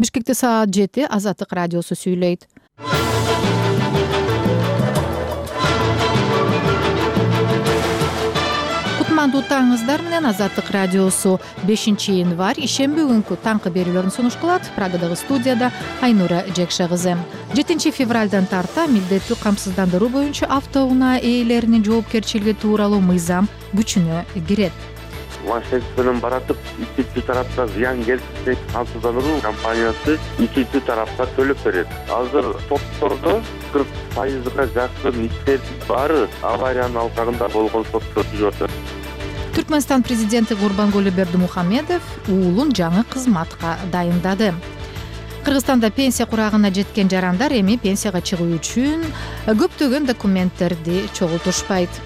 Бишкекте саат 7 Азаттык радиосу сүйлөйт. Кутмандуу таңыңыздар менен Азаттык радиосу 5-январь ишемби күнкү таңкы берүүлөрүн сунуш кылат. Прагадагы студияда Айнура Жекше кызы. 7 февралдан тарта милдеттүү камсыздандыруу боюнча автоунаа ээлеринин жоопкерчилиги тууралуу мыйзам күчүнө кирет. Машинест менен баратып, икинчи тарапка зыян келсе, камсыздандыруу компаниясы икинчи тарапка төлөп берет. Азыр соттордо 40%га жакын иштердин баары авариянын алкагында болгон соттор жүрүп атат. Түркмөнстан президенти Гурбангулы Бердимухамедов уулун жаңы кызматка дайындады. Кыргызстанда пенсия курагына жеткен жарандар эми пенсияга чыгуу үчүн көптөгөн документтерди чогултушпайт.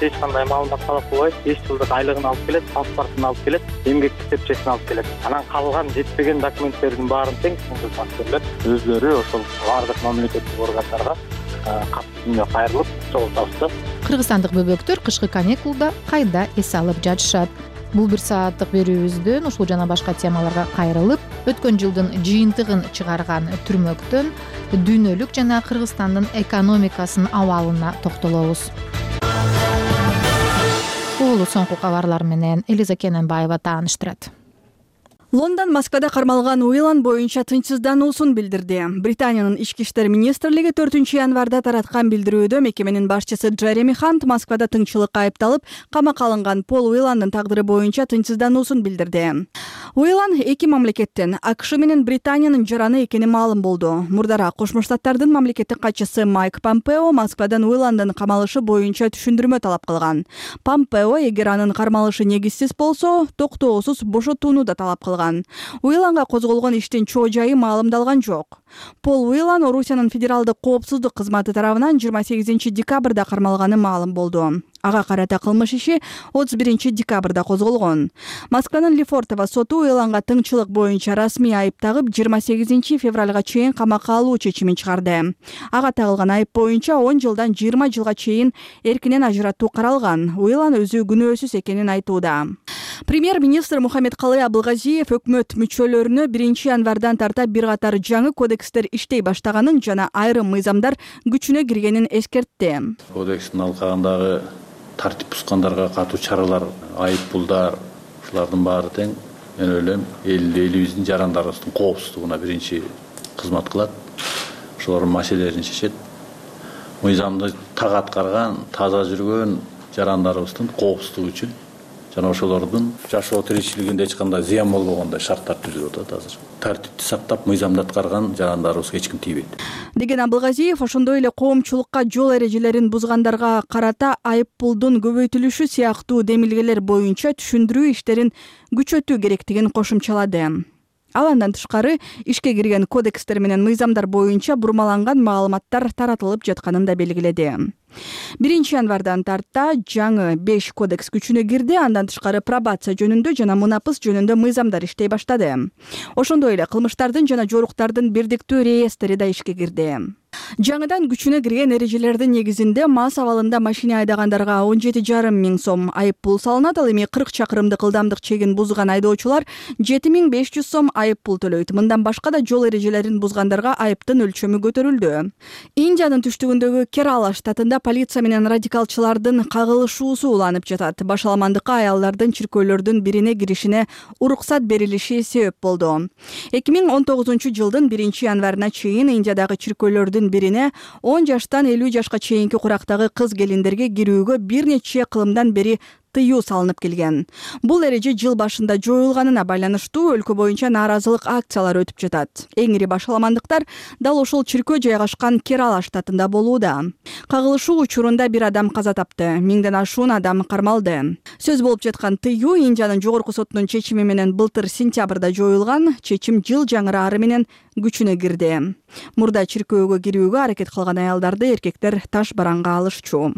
Эч кандай маалымат талап кылбайт, 5 жылдык айлыгын алып келет, паспортун алып келет, эмгек китепчесин алып келет. Анан калган жетпеген документтердин баарын тең кызматкерлер өздөрү ошол бардык мамлекеттик органдарга катышына кайрылып чогултабыз. Кыргызстандык бөбөктөр кышкы каникулда кайда эс алып жатышат? Бул 1 сааттык берүүбүздөн ушул жана башка темаларга кайрылып, өткөн жылдын жыйынтыгын чыгарган түрмөктөн дүйнөлүк жана Кыргызстандын экономикасынын абалына токтолобуз. Бул соңку кабарлар менен Элиза Кененбаева тааныштырат. Лондон Москвада кармалган Уилан боюнча тынчсыздануусун билдирди. Британиянын ички иштер министрлиги 4-январда тараткан билдирүүдө мекеменин башчысы Джереми Хант Москвада тыңчылыкка айыпталып, камакка алынган Пол Уиландын тагдыры боюнча тынчсыздануусун билдирди. Уилан эки мамлекеттин, АКШ менен Британиянын жараны экени маалым болду. Мурдараак Кошмо Штаттардын мамлекеттик катчысы Майк Помпео Москвадан Уиландын камалышы боюнча түшүндүрмө талап кылган. Помпео эгер анын кармалышы негизсиз болсо, токтоосуз бошотууну да талап кылган. Уиланга козголгон иштин чоо жайы маалымдалган жок. Пол Уилан Орусиянын федералдык коопсуздук кызматы тарабынан 28 декабрда кармалганы маалым болду. Ага карата кылмыш иши 31 декабрда козголгон. Москванын Лефортово соту Уиланга тыңчылык боюнча расмий айып тагып 28 февралга чейин камакка алуу чечимин чыгарды. Ага тагылган айып боюнча 10 жылдан 20 жылга чейин эркинен ажыратуу каралган. Уилан өзү күнөөсүз экенин айтууда. Премьер-министр Мухаммедкалый Абылгазиев өкмөт мүчөлөрүнө 1-январдан тарта бир катар жаңы кодекстер иштей баштаганын жана айрым мыйзамдар күчүнө киргенин эскертти. Кодекстин алкагындагы тартип бузгандарга катуу чаралар, айып пулдар, ушулардын баары тең мен ойлойм элибиздин жарандарыбыздын коопсуздугуна биринчи кызмат кылат. Ошолордун маселелерин чечет. Мыйзамды так аткарган, таза жүргөн жарандарыбыздын коопсуздугу үчүн жана ошолордун жашоо тиричилигинде эч кандай зыян болбогондой шарттар түзүлүп атат азыр. Тартипти сактап, мыйзамды аткарган жарандарыбызга эч ким тийбейт. Деген Абылгазиев ошондой эле коомчулукка жол эрежелерин бузгандарга карата айып пулдун көбөйтүлүшү сыяктуу демилгелер боюнча түшүндүрүү иштерин күчөтүү керектигин кошумчалады. Ал андан тышкары ишке кирген кодекстер менен мыйзамдар боюнча бурмаланган маалыматтар таратылып жатканын да белгиледи. 1-январдан тарта жаңы 5 кодекс күчүнө кирди. Андан тышкары пробация жөнүндө жана мунапыс жөнүндө мыйзамдар иштей баштады. Ошондой эле кылмыштардын жана жоруктардын бирдиктүү реестри да ишке кирди. Жаңыдан күчүнө кирген эрежелердин негизинде мас абалында машина айдагандарга 17,5 миң сом айып пул салынат. Ал эми 40 чакырымдык ылдамдык чегин бузган айдоочулар 7500 сом айып пул төлөйт. Мындан башка да жол эрежелерин бузгандарга айыптын өлчөмү көтөрүлдү. Индиянын түштүгүндөгү Керала штатында полиция менен радикалчылардын кагылышуусу уланып жатат. Башаламандыкка аялдардын чиркөөлөрдүн бирине киришине уруксат берилиши себеп болду. 2019 жылдын 1-январына чейин Индиядагы чиркөөлөрдүн бирине 10 жаштан 50 жашка чейинки курактагы кыз келиндерге кирүүгө бир нече кылымдан бери тыюу салынып келген. Бул эреже жыл башында жоюлганына байланыштуу өлкө боюнча нааразылык акциялары өтүп жатат. Эң ири башаламандыктар дал ошол чиркөө жайгашкан Керала штатында болууда. Кагылышуу учурунда бир адам каза тапты, 1000ден ашуун адам кармалды. Сөз болуп жаткан тыюу Индиянын жогорку сотунун чечими менен былтыр сентябрда жоюлган. Чечим жыл жаңырары менен күчүнө кирди. Мурда чиркөөгө кирүүгө аракет кылган аялдарды эркектер таш бараңга алышчу.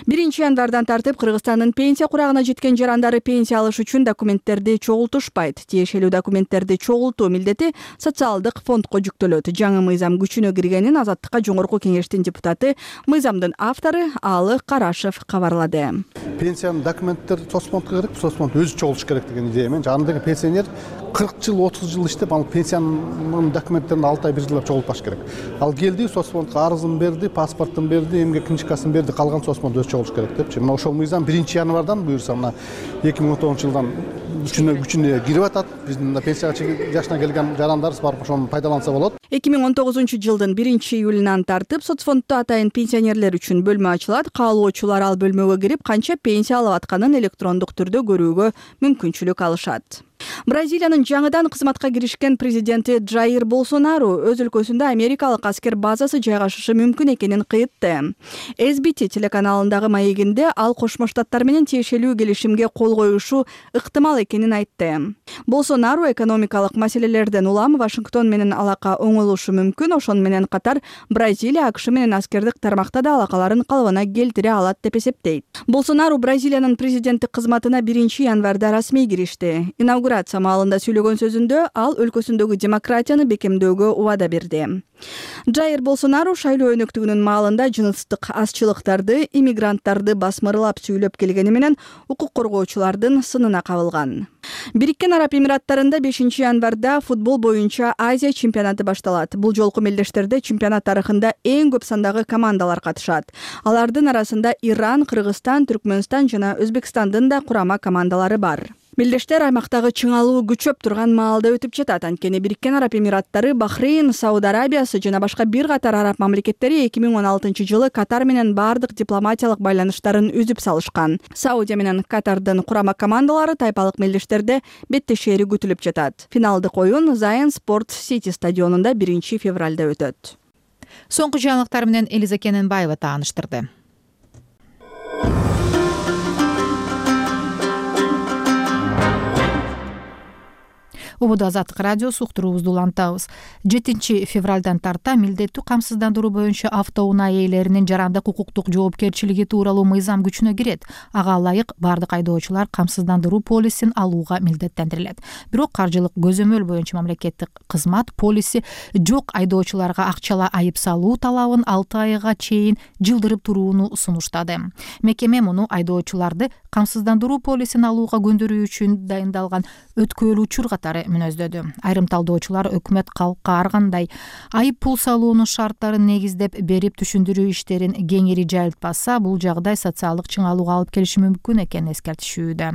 1 январдан тартып Кыргызстандын пенсия курагына жеткен жарандары пенсия алыш үчүн документтерди чогултушпайт. Тиешелүү документтерди чогултуу милдети социалдык фондко жүктөлөт. Жаңы мыйзам күчүнө киргенин Азаттыкка жогорку кеңештин депутаты, мыйзамдын автору Аалы Карашев кабарлады. Пенсиянын документтер соцфондко керек, соцфонд өзү чогултуш керек деген идея менен жанындагы пенсионер 40 жыл, 30 жыл иштеп, ал пенсиянын документтерин 6 ай 1 жылда чогултпаш керек. Ал келди, соцфондко арызын берди, паспортун берди, эмгек книжкасын берди, калган соцфонд өзү чогултуш керек депчи. Мына ошол мыйзам 1 январдан буюрса, мына 2019 жылдан күчүнө кирип атат. Биздин мына пенсия жашына келген жарандарыбыз барып ошону пайдаланса болот. 2019 жылдын 1 июлунан тартып соцфонддо атайын пенсионерлер үчүн бөлмө ачылат. Каалоочулар ал бөлмөгө кирип, канча пенсия алып атканын электрондук түрдө көрүүгө мүмкүнчүлүк алышат. Бразилиянын жаңыдан кызматка киришкен президенти Джаир Болсонару өз өлкөсүндө америкалык аскер базасы жайгашышы мүмкүн экенин кыйтты. SBT телеканалындагы маегинде ал Кошмо Штаттар менен тиешелүү келишимге кол коюшу ыктымал экенин айтты. Болсонару экономикалык маселелерден улам Вашингтон менен алака оңолушу мүмкүн, ошону менен катар Бразилия АКШ менен аскердик тармакта да алакаларын калыбына келтире алат деп эсептейт. Болсонару Бразилиянын президенттик кызматына 1 январда расмий киришти. Инаугурация маалында сүйлөгөн сөзүндө ал өлкөсүндөгү демократияны бекемдөөгө убада берди. Джаир Болсонару шайлоо өнөктүгүнүн маалында жыныстык азчылыктарды, иммигранттарды басмырлап сүйлөп келгени менен укук коргоочулардын сынына кабылган. Бириккен Араб Эмираттарында 5 январда футбол боюнча Азия чемпионаты башталат. Бул жолку мелдештерде чемпионат тарыхында эң көп сандагы командалар катышат. Алардын арасында Иран, Кыргызстан, Түркмөнстан жана Өзбекстандын да курама командалары бар. Мелдештер аймактагы чыңалуу күчөп турган маалда өтүп жатат. Анткени Бириккен Араб Эмираттары, Бахрейн, Сауд Арабиясы жана башка бир катар араб мамлекеттери 2016 жылы Катар менен бардык дипломатиялык байланыштарын үзүп салышкан. Саудия менен Катардын курама командалары тайпалык мелдештерде беттешери күтүлүп жатат. Финалдык оюн Zion Sport City стадионунда 1 февралда өтөт. Соңку жаңылыктар менен Элиза Кененбаева тааныштырды. Убуда Азаттык радиосу уктуруубузду улантабыз. 7 февралдан тарта милдеттүү камсыздандыруу боюнча автоунаа ээлеринин жарандык укуктук жоопкерчилиги тууралуу мыйзам күчүнө кирет. Ага ылайык бардык айдоочулар камсыздандыруу полисин алууга милдеттендирилет. Бирок каржылык көзөмөл боюнча мамлекеттик кызмат полиси жок айдоочуларга акчалай айып салуу талабын 6 айга чейин жылдырып турууну сунуштады. Мекеме муну айдоочуларды камсыздандыруу полисин алууга көндүрүү үчүн дайындалган өткөөлүү учур катары мүнөздөдү. Айрым талдоочулар өкмөт калкка ар кандай айып пул салуунун шарттарын негиздеп берип түшүндүрүү иштерин кеңири жайылтпаса, бул жагдай социалдык чыңалууга алып келиши мүмкүн экенин эскертишүүдө.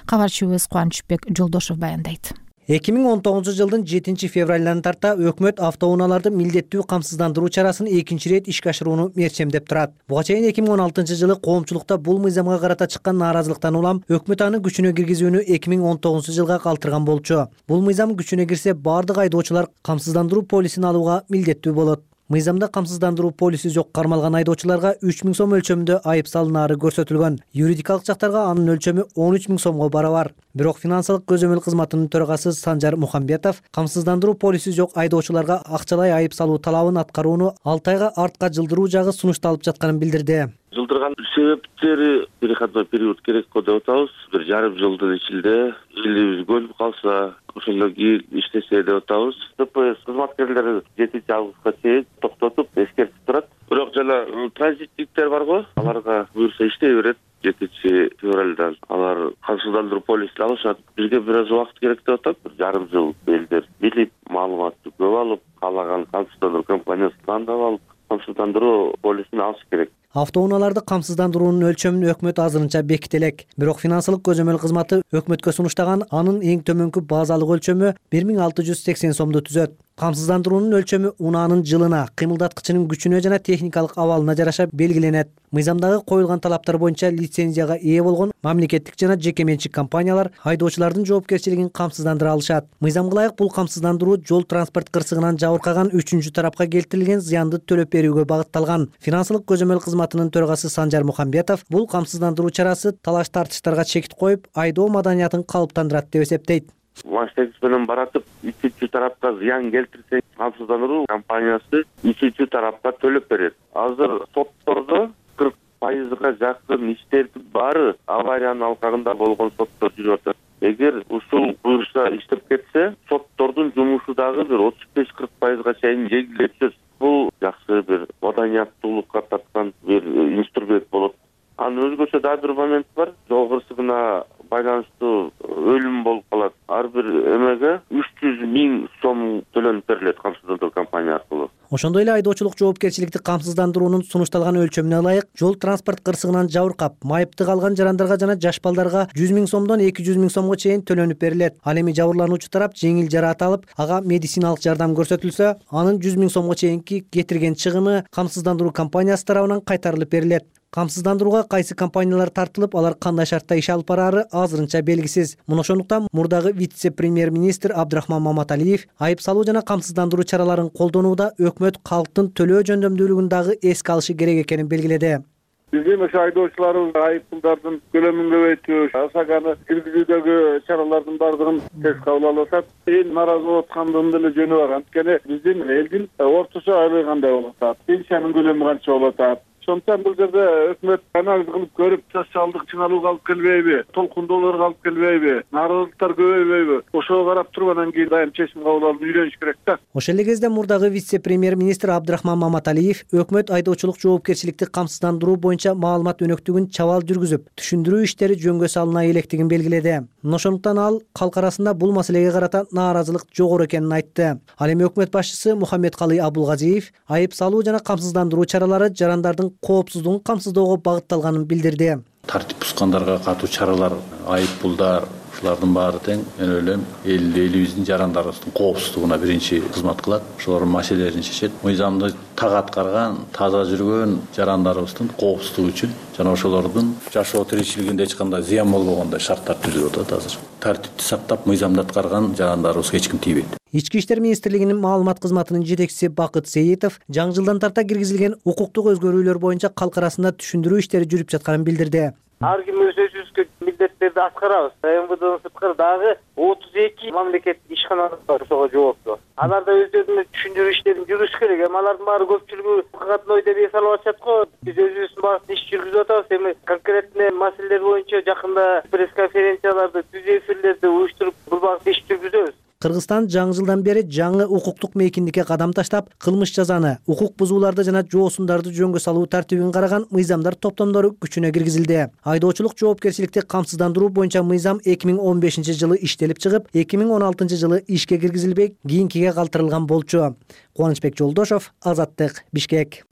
Кабарчыбыз Кубанычбек Жолдошов баяндайт. 2019 жылдын 7 февралынан тарта өкмөт автоунааларды милдеттүү камсыздандыруу чарасын экинчи рет ишке ашырууну мерчемдеп турат. Буга чейин 2016 жылы коомчулукта бул мыйзамга карата чыккан нааразылыктан улам өкмөт аны күчүнө киргизүүнү 2019 жылга калтырган болчу. Бул мыйзам күчүнө кирсе, бардык айдоочулар камсыздандыруу полисин алууга милдеттүү болот. Мыйзамда камсыздандыруу полиси жок кармалган айдоочуларга 3000 сом өлчөмүндө айып салынаары көрсөтүлгөн. Юридикалык жактарга анын өлчөмү 13000 сомго барабар. Бирок финансылык көзөмөл кызматынын төрагасы Санжар Мухамбетов камсыздандыруу полиси жок айдоочуларга акчалай айып салуу талабын аткарууну 6 айга артка жылдыруу жагы сунушталып жатканын билдирди. Жылдырган себептери переходной период керек го деп атабыз. 1,5 жылдын ичинде элибиз көнүп калса, ошондон кийин иштесе деп атабыз. ДПС кызматкерлери 7 августка чейин токтотуп эскертип турат. Бирок жана транзиттиктер барго, аларга буюрса иштей берет. 7 февралдан алар камсыздандыруу полисин алышат. Бизге бир аз убакыт керек деп атат. 1,5 жыл элдер билип, маалыматты көп алып, каалаган камсыздандыруу компаниясын тандап алып, камсыздандыруу полисин алыш керек. Автоунааларды камсыздандыруунун өлчөмүн өкмөт азырынча беките элек. Бирок финансылык көзөмөл кызматы өкмөткө сунуштаган анын эң төмөнкү базалык өлчөмү 1680 сомду түзөт. Камсыздандыруунун өлчөмү унаанын жылына, кыймылдаткычынын күчүнө жана техникалык абалына жараша белгиленет. Мыйзамдагы коюлган талаптар боюнча лицензияга ээ болгон мамлекеттик жана жеке менчик компаниялар айдоочулардын жоопкерчилигин камсыздандыра алышат. Мыйзамга ылайык бул камсыздандыруу жол транспорт кырсыгынан жабыркаган 3-чү тарапка келтирилген зыянды төлөп берүүгө багытталган. Финансылык көзөмөл кызматынын төрагасы Санжар Мухамбетов бул камсыздандыруу чарасы талаш тартыштарга чекит коюп, айдоо маданиятын калыптандырат деп эсептейт. Машинест менен баратып, икинчи тарапка зыян келтирсе, камсыздандыруу компаниясы икинчи тарапка төлөп берет. Азыр соттордо 40% пайызга жакын иштердин баары авариянын алкагында болгон соттор жүрүп атат. Эгер ушул буюрса иштеп кетсе, соттордун жумушу дагы бир 35-40%га чейин жеңилдей түшөт. Бул жакшы бир маданияттуулукка тарткан бир инструмент болот. Анын өзгөчө дагы бир момент бар. Жол кырсыгына байланыштуу өлүм болуп калат. Ар бир эмеге 300 000 сом төлөнүп берилет камсыздандыруу компания аркылуу. Ошондой эле айдоочулук жоопкерчиликти камсыздандыруунун сунушталган өлчөмүнө ылайык жол транспорт кырсыгынан жабыркап, майыпты калган жарандарга жана жаш балдарга 100 000 сомдон 200 000 сомго чейин төлөнүп берилет. Ал эми жабырлануучу тарап жеңил жараат алып, ага медициналык жардам көрсөтүлсө, анын 100 000 сомго чейинки кетирген чыгымы камсыздандыруу компаниясы тарабынан кайтарылып берилет. Камсыздандырууга кайсы компаниялар тартылып, алар кандай шартта иш алып бараары азырынча белгисиз. Муну ошондуктан мурдагы вице-премьер-министр Абдрахман Маматалиев айып салуу жана камсыздандыруу чараларын колдонууда өкмөт калктын төлөө жөндөмдүүлүгүн дагы эске алышы керек экенин белгиледи. Биздин ошо айдоочуларыбыз айып пулдардын көлөмүн көбөйтүү, ОСАГаны киргизүүдөгү чаралардын бардыгын тез кабыл алып атат. Эл нааразы болуп аткандын деле жөнү бар. Анткени биздин элдин орточо айлыгы кандай болуп атат, пенсиянын көлөмү канча болуп атат. Ошондуктан бул жерде өкмөт анализ кылып көрүп, социалдык чыңалууга алып келбейби, толкундоолорго алып келбейби, нааразылыктар көбөйбөйбү, ошого карап туруп анан кийин дайым чечим кабыл алып үйрөнүш керек да. Ошол эле кезде мурдагы вице-премьер-министр Абдрахман Маматалиев өкмөт айдоочулук жоопкерчиликти камсыздандыруу боюнча маалымат өнөктүгүн чабал жүргүзүп, түшүндүрүү иштери жөнгө салына электигин белгиледи. Ошондуктан ал калк арасында бул маселеге карата нааразылык жогору экенин айтты. Ал эми өкмөт башчысы Мухаммедкалый Абулгазиев айып салуу жана камсыздандыруу чаралары жарандардын коопсуздугун камсыздоого багытталганын билдирди. Тартип бузгандарга катуу чаралар, айып пулдар, ушулардын баары тең мен ойлойм элибиздин жарандарыбыздын коопсуздугуна биринчи кызмат кылат. Ошолордун маселелерин чечет. Мыйзамды так аткарган, таза жүргөн жарандарыбыздын коопсуздугу үчүн жана ошолордун жашоо тиричилигинде эч кандай зыян болбогондой шарттар түзүлүп атат азыр. Тартипти сактап, мыйзамды аткарган жарандарыбызга эч ким тийбейт. Ички иштер министрлигинин маалымат кызматынын жетекчиси Бакыт Сейитов жаңы жылдан тарта киргизилген укуктук өзгөрүүлөр боюнча калк арасында түшүндүрүү иштери жүрүп жатканын билдирди. Ар ким өзүбүзгө милдеттерди аткарабыз. МВДдын сырткары дагы 32 мамлекет ишканасы бар ошого жооптуу. Алар да өздөрүнүн түшүндүрүү иштерин жүргүзүш керек. Эми алардын баары көпчүлүгү катной деп эс алып атышат го. Биз өзүбүздүн багытта иш жүргүзүп атабыз. Эми конкретный маселелер боюнча жакында пресс-конференцияларды, түз эфирлерди уюштуруп бул багытта иш жүргүзөбүз. Кыргызстан жаңы жылдан бери жаңы укуктук мейкиндикке кадам таштап, кылмыш жазаны, укук бузууларды жана жоосундарды жөнгө салуу тартибин караган мыйзамдар топтомдору күчүнө киргизилди. Айдоочулук жоопкерчиликти камсыздандыруу боюнча мыйзам 2015 жылы иштелип чыгып, 2016 жылы ишке киргизилбей, кийинкиге калтырылган болчу. Кубанычбек Жолдошов, Азаттык, Бишкек.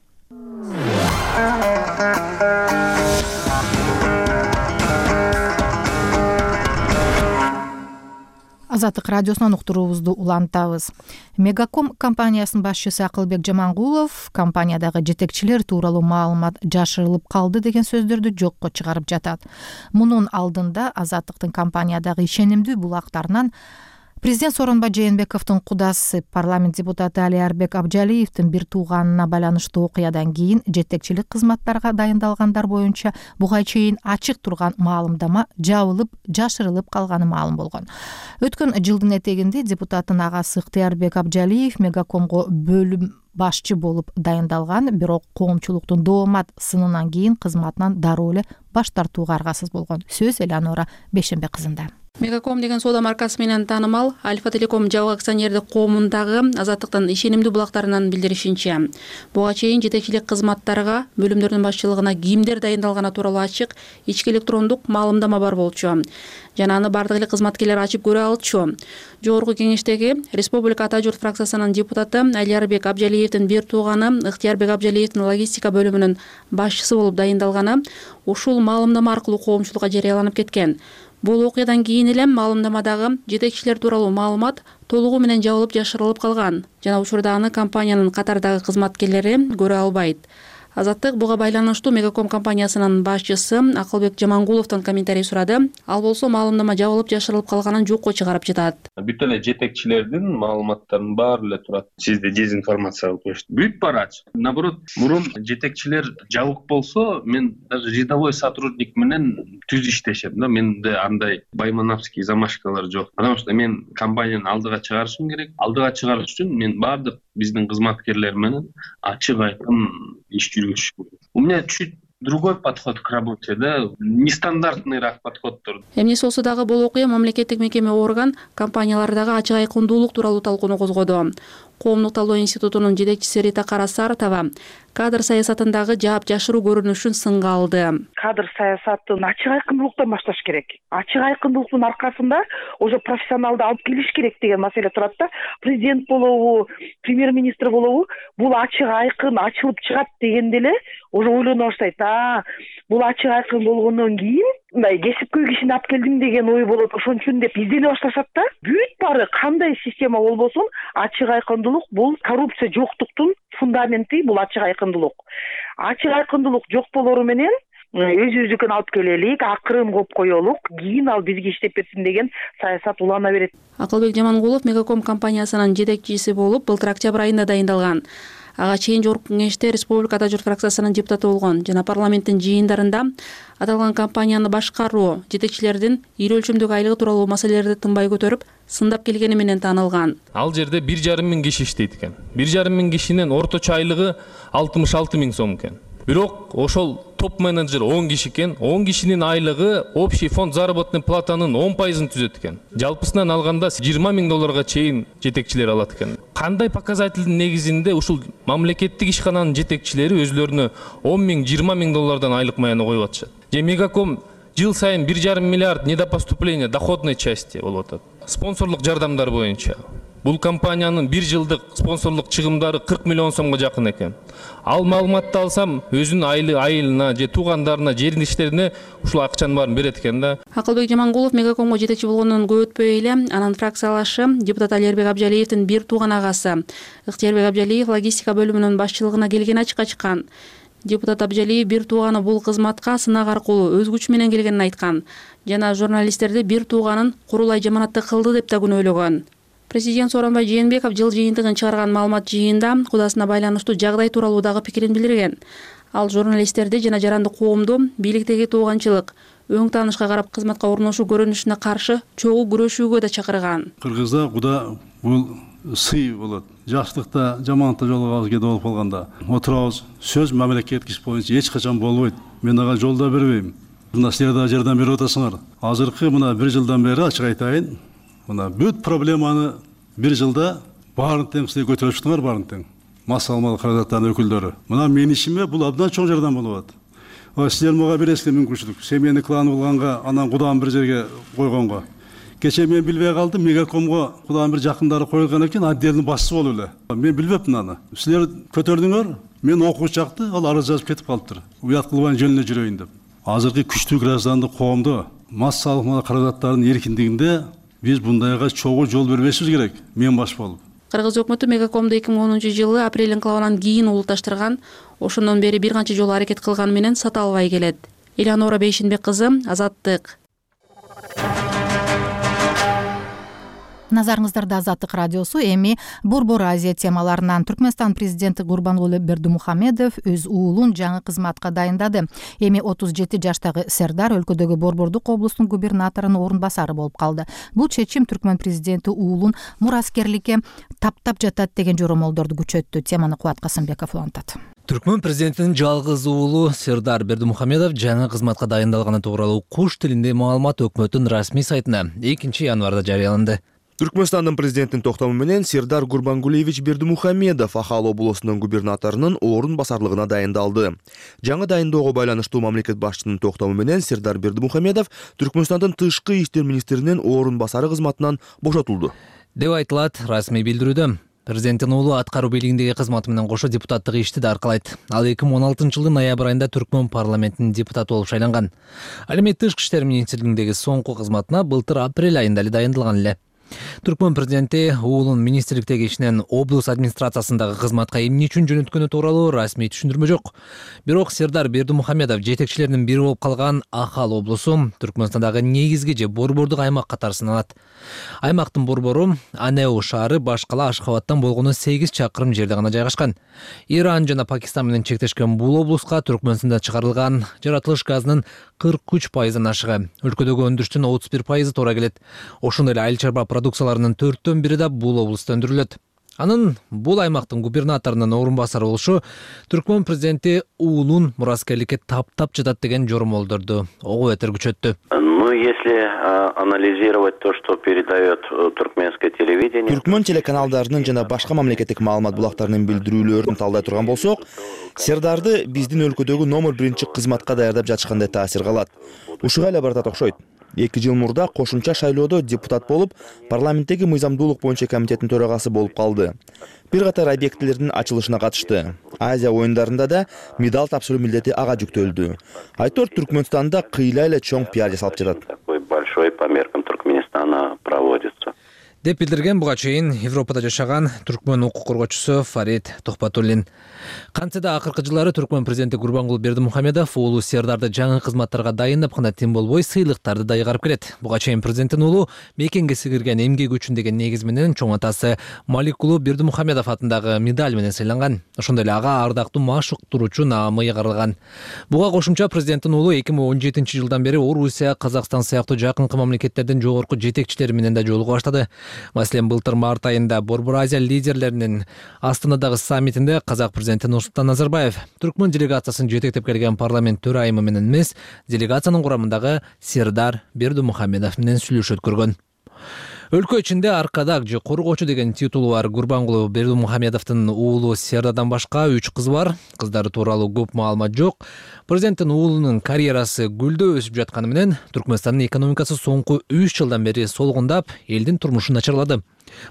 Азаттык радиосунан уктуруубузду улантабыз. Мегаком компаниясынын башчысы Акылбек Жамангулов компаниядагы жетекчилер тууралуу маалымат жашырылып калды деген сөздөрдү жокко чыгарып жатат. Мунун алдында Азаттыктын компаниядагы ишенимдүү булактарынан президент Сооронбай Жээнбековдун кудасы парламент депутаты Алиарбек Абжалиевдин бир тууганына байланыштуу окуядан кийин жетекчилик кызматтарга дайындалгандар боюнча буга чейин ачык турган маалымдама жабылып, жашырылып калганы маалым болгон. Өткөн жылдын этегинде депутаттын агасы Ыктыярбек Абжалиев Мегакомго бөлүм башчы болуп дайындалган, бирок коомчулуктун доомат сынынан кийин кызматынан дароо эле баш тартууга аргасыз болгон. Сөз Элеонора Бейшембек кызында. Мегаком деген соода маркасы менен таанымал Альфа Телеком жабык акционердик коомундагы Азаттыктын ишенимдүү булактарынан билдиришинче, буга чейин жетекчилик кызматтарга бөлүмдөрдүн башчылыгына кимдер дайындалганы тууралуу ачык ички электрондук маалымдама бар болчу жана аны бардык эле кызматкерлер ачып көрө алчу. Жогорку кеңештеги Республика Ата журт фракциясынын депутаты Алиарбек Абжалиевдин бир тууганы Ыктыярбек Абжалиевдин логистика бөлүмүнүн башчысы болуп дайындалганы ушул маалымдама аркылуу коомчулукка жарыяланып кеткен. Бул окуядан кийин эле маалымдамадагы жетекчилер тууралуу маалымат толугу менен жабылып жашырылып калган жана учурда аны компаниянын катардагы кызматкерлери көрө албайт. Азаттык буга байланыштуу Мегаком компаниясынын башчысы Акылбек Жамангуловдон комментарий сурады. Ал болсо маалымдама жабылып жашырылып калганын жокко чыгарып жатат. Бүт эле жетекчилердин маалыматтарынын баары эле турат. Сизди дезинформация кылып коюшту. Бүт барачы. Наоборот, мурун жетекчилер жабык болсо, мен даже рядовой сотрудник менен түз иштешем да. Менде андай баймановский замашкалар жок. Потому что мен компанияны алдыга чыгарышым керек. Алдыга чыгарыш үчүн мен бардык биздин кызматкерлер менен ачык айкын иш жүргүзүш керек. У меня чуть другой подход к работе, да, нестандартныйраак подходдор. Эмнеси болсо дагы бул окуя мамлекеттик мекеме орган компаниялардагы ачык айкындуулук тууралуу талкууну козгоду. Коомдук талдоо институтунун жетекчиси Рита Карасаратова кадр саясатындагы жаап жашыруу көрүнүшүн сынга алды. Кадр саясатын ачык айкындуулуктан башташ керек. Ачык айкындуулуктун аркасында уже профессионалды алып келиш керек деген маселе турат да. Президент болобу, премьер-министр болобу, бул ачык айкын ачылып чыгат дегенде эле уже ойлоно баштайт. Бул ачык айкын болгондон кийин мындай кесипкөй кишини алып келдим деген ой болот. Ошон үчүн деп издене башташат да. Бүт баары кандай система болбосун ачык айкындуулук бул коррупция жоктуктун фундаменти, бул ачык айкындуулук. Ачык айкындуулук жок болору менен өзүбүздүкүн алып келелик, акырын коюп коелук, кийин ал бизге иштеп берсин деген саясат улана берет. Акылбек Жамангулов Мегаком компаниясынын жетекчиси болуп, былтыр октябрь айында дайындалган. Ага чейин жогорку кеңеште Республикада журт фракциясынын депутаты болгон жана парламенттин жыйындарында аталган компанияны башкаруу, жетекчилердин ир өлчөмдөгү айлыгы тууралуу маселелерди тынбай көтөрүп, сындап келгени менен таанылган. Ал жерде 1,5 миң киши иштейт экен. 1,5 миң кишинин орточо айлыгы 66 миң сом экен. Бирок ошол топ менеджер 10 киши экен. 10 кишинин айлыгы общий фонд заработной платанын 10% түзөт экен. Жалпысынан алганда 20 миң долларга чейин жетекчилер алат экен. Кандай показательдин негизинде ушул мамлекеттик ишкананын жетекчилери өзлөрүнө 10 миң, 20 миң доллардан айлык маяны коюп атышат. Же Мегаком жыл сайын 1,5 миллиард недопоступления доходной части болуп атат. Спонсорлук жардамдар боюнча бул компаниянын 1 жылдык спонсорлук чыгымдары 40 миллион сомго жакын экен. Ал маалыматты алсам, өзүнүн айылына же туугандарына, жериндиштерине ушул акчанын баарын берет экен да. Акылбек Жамангулов Мегакомго жетекчи болгондон көп өтпөй эле анын фракциялашы депутат Алиербек Абжалиевдин бир тууган агасы Ыктыярбек Абжалиев логистика бөлүмүнүн башчылыгына келгени ачыкка чыккан. Депутат Абжалиев бир тууганы бул кызматка сынак аркылуу өз күчү менен келгенин айткан жана журналисттерди бир тууганын курулай жаманатты кылды деп да күнөөлөгөн. Президент Сооронбай Жээнбеков жыл жыйынтыгын чыгарган маалымат жыйында кудасына байланыштуу жагдай тууралуу дагы пикирин билдирген. Ал журналисттерди жана жарандык коомду бийликтеги тууганчылык, өң таанышка карап кызматка орношуу көрүнүшүнө каршы чогуу күрөшүүгө да чакырган. Кыргызда куда бул сый болот. Жакшылыкта, жаманатта жолугабыз кээде болуп калганда отурабыз. Сөз мамлекеттик иш боюнча эч качан болбойт. Мен ага жол да бербейм. Мына силер да жардам берип атасыңар. Азыркы мына 1 жылдан бери ачык айтайын. Мына бүт проблеманы 1 жылда баарын тең силер көтөрүп чыктыңар, баарын тең. Мас алмалы каражаттардын өкүлдөрү. Мына менин ишиме бул абдан чоң жардам болуп атат. Силер мага бересиздер мүмкүнчүлүк. Семейный клан булганга, анан кудам бир жерге койгонго. Кече мен билбей калдым, Мегакомго кудам бир жакындары коюлган экен, отделдин башчысы болуп эле. Мен билбепмин аны. Силер көтөрдүңөр, мен окуу чакты, ал арыз жазып кетип калыптыр. Уят кылбай жөнүнө жүрөйүн деп. Азыркы күчтүү граждандык коомдо мас алмалы каражаттардын эркиндигинде биз бундайга чогуу жол бербешибиз керек, мен баш болуп. Кыргыз өкмөтү Мегакомду 2010-жылы апрель инкылабынан кийин улутташтырган, ошондон бери бир канча жолу аракет кылган менен сата албай келет. Элеонора Бейшинбек кызы, Азаттык. Назарыңыздарда Азаттык радиосу. Эми Борбор Азия темаларынан Түркмөнстан президенти Гурбангулы Бердимухамедов өз уулун жаңы кызматка дайындады. Эми 37 жаштагы Сердар өлкөдөгү Борбордук облустун губернаторунун орун басары болуп калды. Бул чечим Түркмөн президенти уулун мураскерликке таптап жатат деген жоромолдорду күчөттү. Теманы Кубат Касымбеков улантат. Түркмөн президентинин жалгыз уулу Сердар Бердимухамедов жаңы кызматка дайындалганы тууралуу куш тилинде маалымат өкмөттүн расмий сайтына 2 январда жарыяланды. Түркмөнстандын президентинин токтому менен Сердар Гурбангулевич Бердимухамедов Ахал облусунун губернаторунун орун басарлыгына дайындалды. Жаңы дайындоого байланыштуу мамлекет башчынын токтому менен Сердар Бердимухамедов Түркмөнстандын тышкы иштер министринин орун басары кызматынан бошотулду деп айтылат расмий билдирүүдө. Президенттин уулу аткаруу бийлигиндеги кызматы менен кошо депутаттык ишти да аркалайт. Ал 2016-жылдын ноябрь айында Түркмөн парламентинин депутаты болуп шайланган. Ал эми тышкы иштер министрлигиндеги соңку кызматына былтыр апрель айында эле дайындалган эле. Түркмөн президенти уулун министрликтеги ишинен облус администрациясындагы кызматка эмне үчүн жөнөткөнү тууралуу расмий түшүндүрмө жок. Бирок Сердар Бердимухамедов жетекчилеринин бири болуп калган Ахал облусу Түркмөнстандагы негизги же борбордук аймак катары саналат. Аймактын борбору Анеу шаары башкала Ашхабадтан болгону 8 чакырым жерде гана жайгашкан. Иран жана Пакистан менен чектешкен бул облуска Түркмөнстанда чыгарылган жаратылыш газынын 43%-дан ашыгы, өлкөдөгү өндүрүштүн 31% туура келет. Ошондой эле айыл чарба продукцияларынын 4/4 да бул облуста өндүрүлөт. Анын бул аймактын губернаторунун орун басары болушу Түркмөн президенти уулун мураскерликке таптап жатат деген жормолдорду ого бетер күчөттү. Если анализировать то, что передает туркменское телевидение. Түркмөн телеканалдарынын жана башка мамлекеттик маалымат булактарынын билдирүүлөрүн талдай турган болсок, Сердарды биздин өлкөдөгү номер 1 кызматка даярдап жатышкандай таасир калат. Ушуга эле баратат окшойт. 2 жыл мурда кошумча шайлоодо депутат болуп, парламенттеги мыйзамдуулук боюнча комитеттин төрагасы болуп калды. Бир катар объектилердин ачылышына катышты. Азия оюндарында да медаль тапшыруу милдети ага жүктөлдү. Айтор Түркмөнстанда кыйла эле чоң пиар жасалып жатат. Такой большой по меркам Туркменистана проводится. Деп билдирген буга чейин Европада жашаган түркмөн укук коргоочусу Фарид Тохпатуллин. Кантсе да акыркы жылдары Түркмөн президенти Гурбангулы Бердимухамедов уулу Сердарды жаңы кызматтарга дайындап гана тим болбой сыйлыктарды да ыйгарып келет. Буга чейин президенттин уулу мекенге сиңирген эмгек үчүн деген негиз менен чоң атасы Маликулу Бердимухамедов атындагы медаль менен сыйланган. Ошондой эле ага ардактуу машык туруучу наамы ыйгарылган. Буга кошумча президенттин уулу 2017-жылдан бери Орусия, Казакстан сыяктуу жакынкы мамлекеттердин жогорку жетекчилери менен да жолугуп баштады. Маселен, былтыр март айында Борбор Азия лидерлеринин Астанадагы саммитинде казак президенти Нурсултан Назарбаев Түркмөн делегациясын жетектеп келген парламент төрайымы менен эмес, делегациянын курамындагы Сердар Бердимухамедов менен сүйлөшүү өткөргөн. Өлкө ичинде аркадак же коргоочу деген титулу бар Гурбангулы Бердимухамедовдун уулу Сердардан башка 3 кызы бар. Кыздары тууралуу көп маалымат жок. Президенттин уулунун карьерасы гүлдөө өсүп жатканы менен Түркмөнстандын экономикасы соңку 3 жылдан бери солгундап, элдин турмушу начарлады.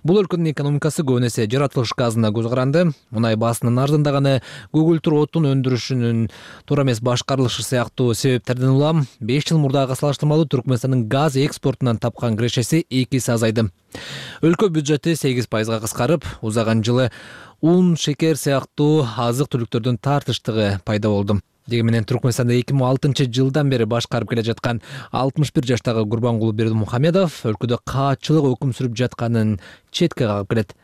Бул өлкөнүн экономикасы көбүн эсе жаратылыш газына көз каранды. Мунай баасынын арзандаганы, көгүлтүр отун өндүрүшүнүн туура эмес башкарылышы сыяктуу себептерден улам 5 жыл мурдага салыштырмалуу Түркмөнстандын газ экспортунан тапкан кирешеси 2 эсе азайды. Өлкө бюджети 8% кыскарып, узаган жылы ун, шекер сыяктуу азык-түлүктөрдүн тартыштыгы пайда болду. Дегенменен Түркмөнстанда 2006-жылдан бери башкарып келе жаткан 61 жаштагы Гурбангулы Бердимухамедов өлкөдө каатчылык өкүм сүрүп жатканын четке кагып келет.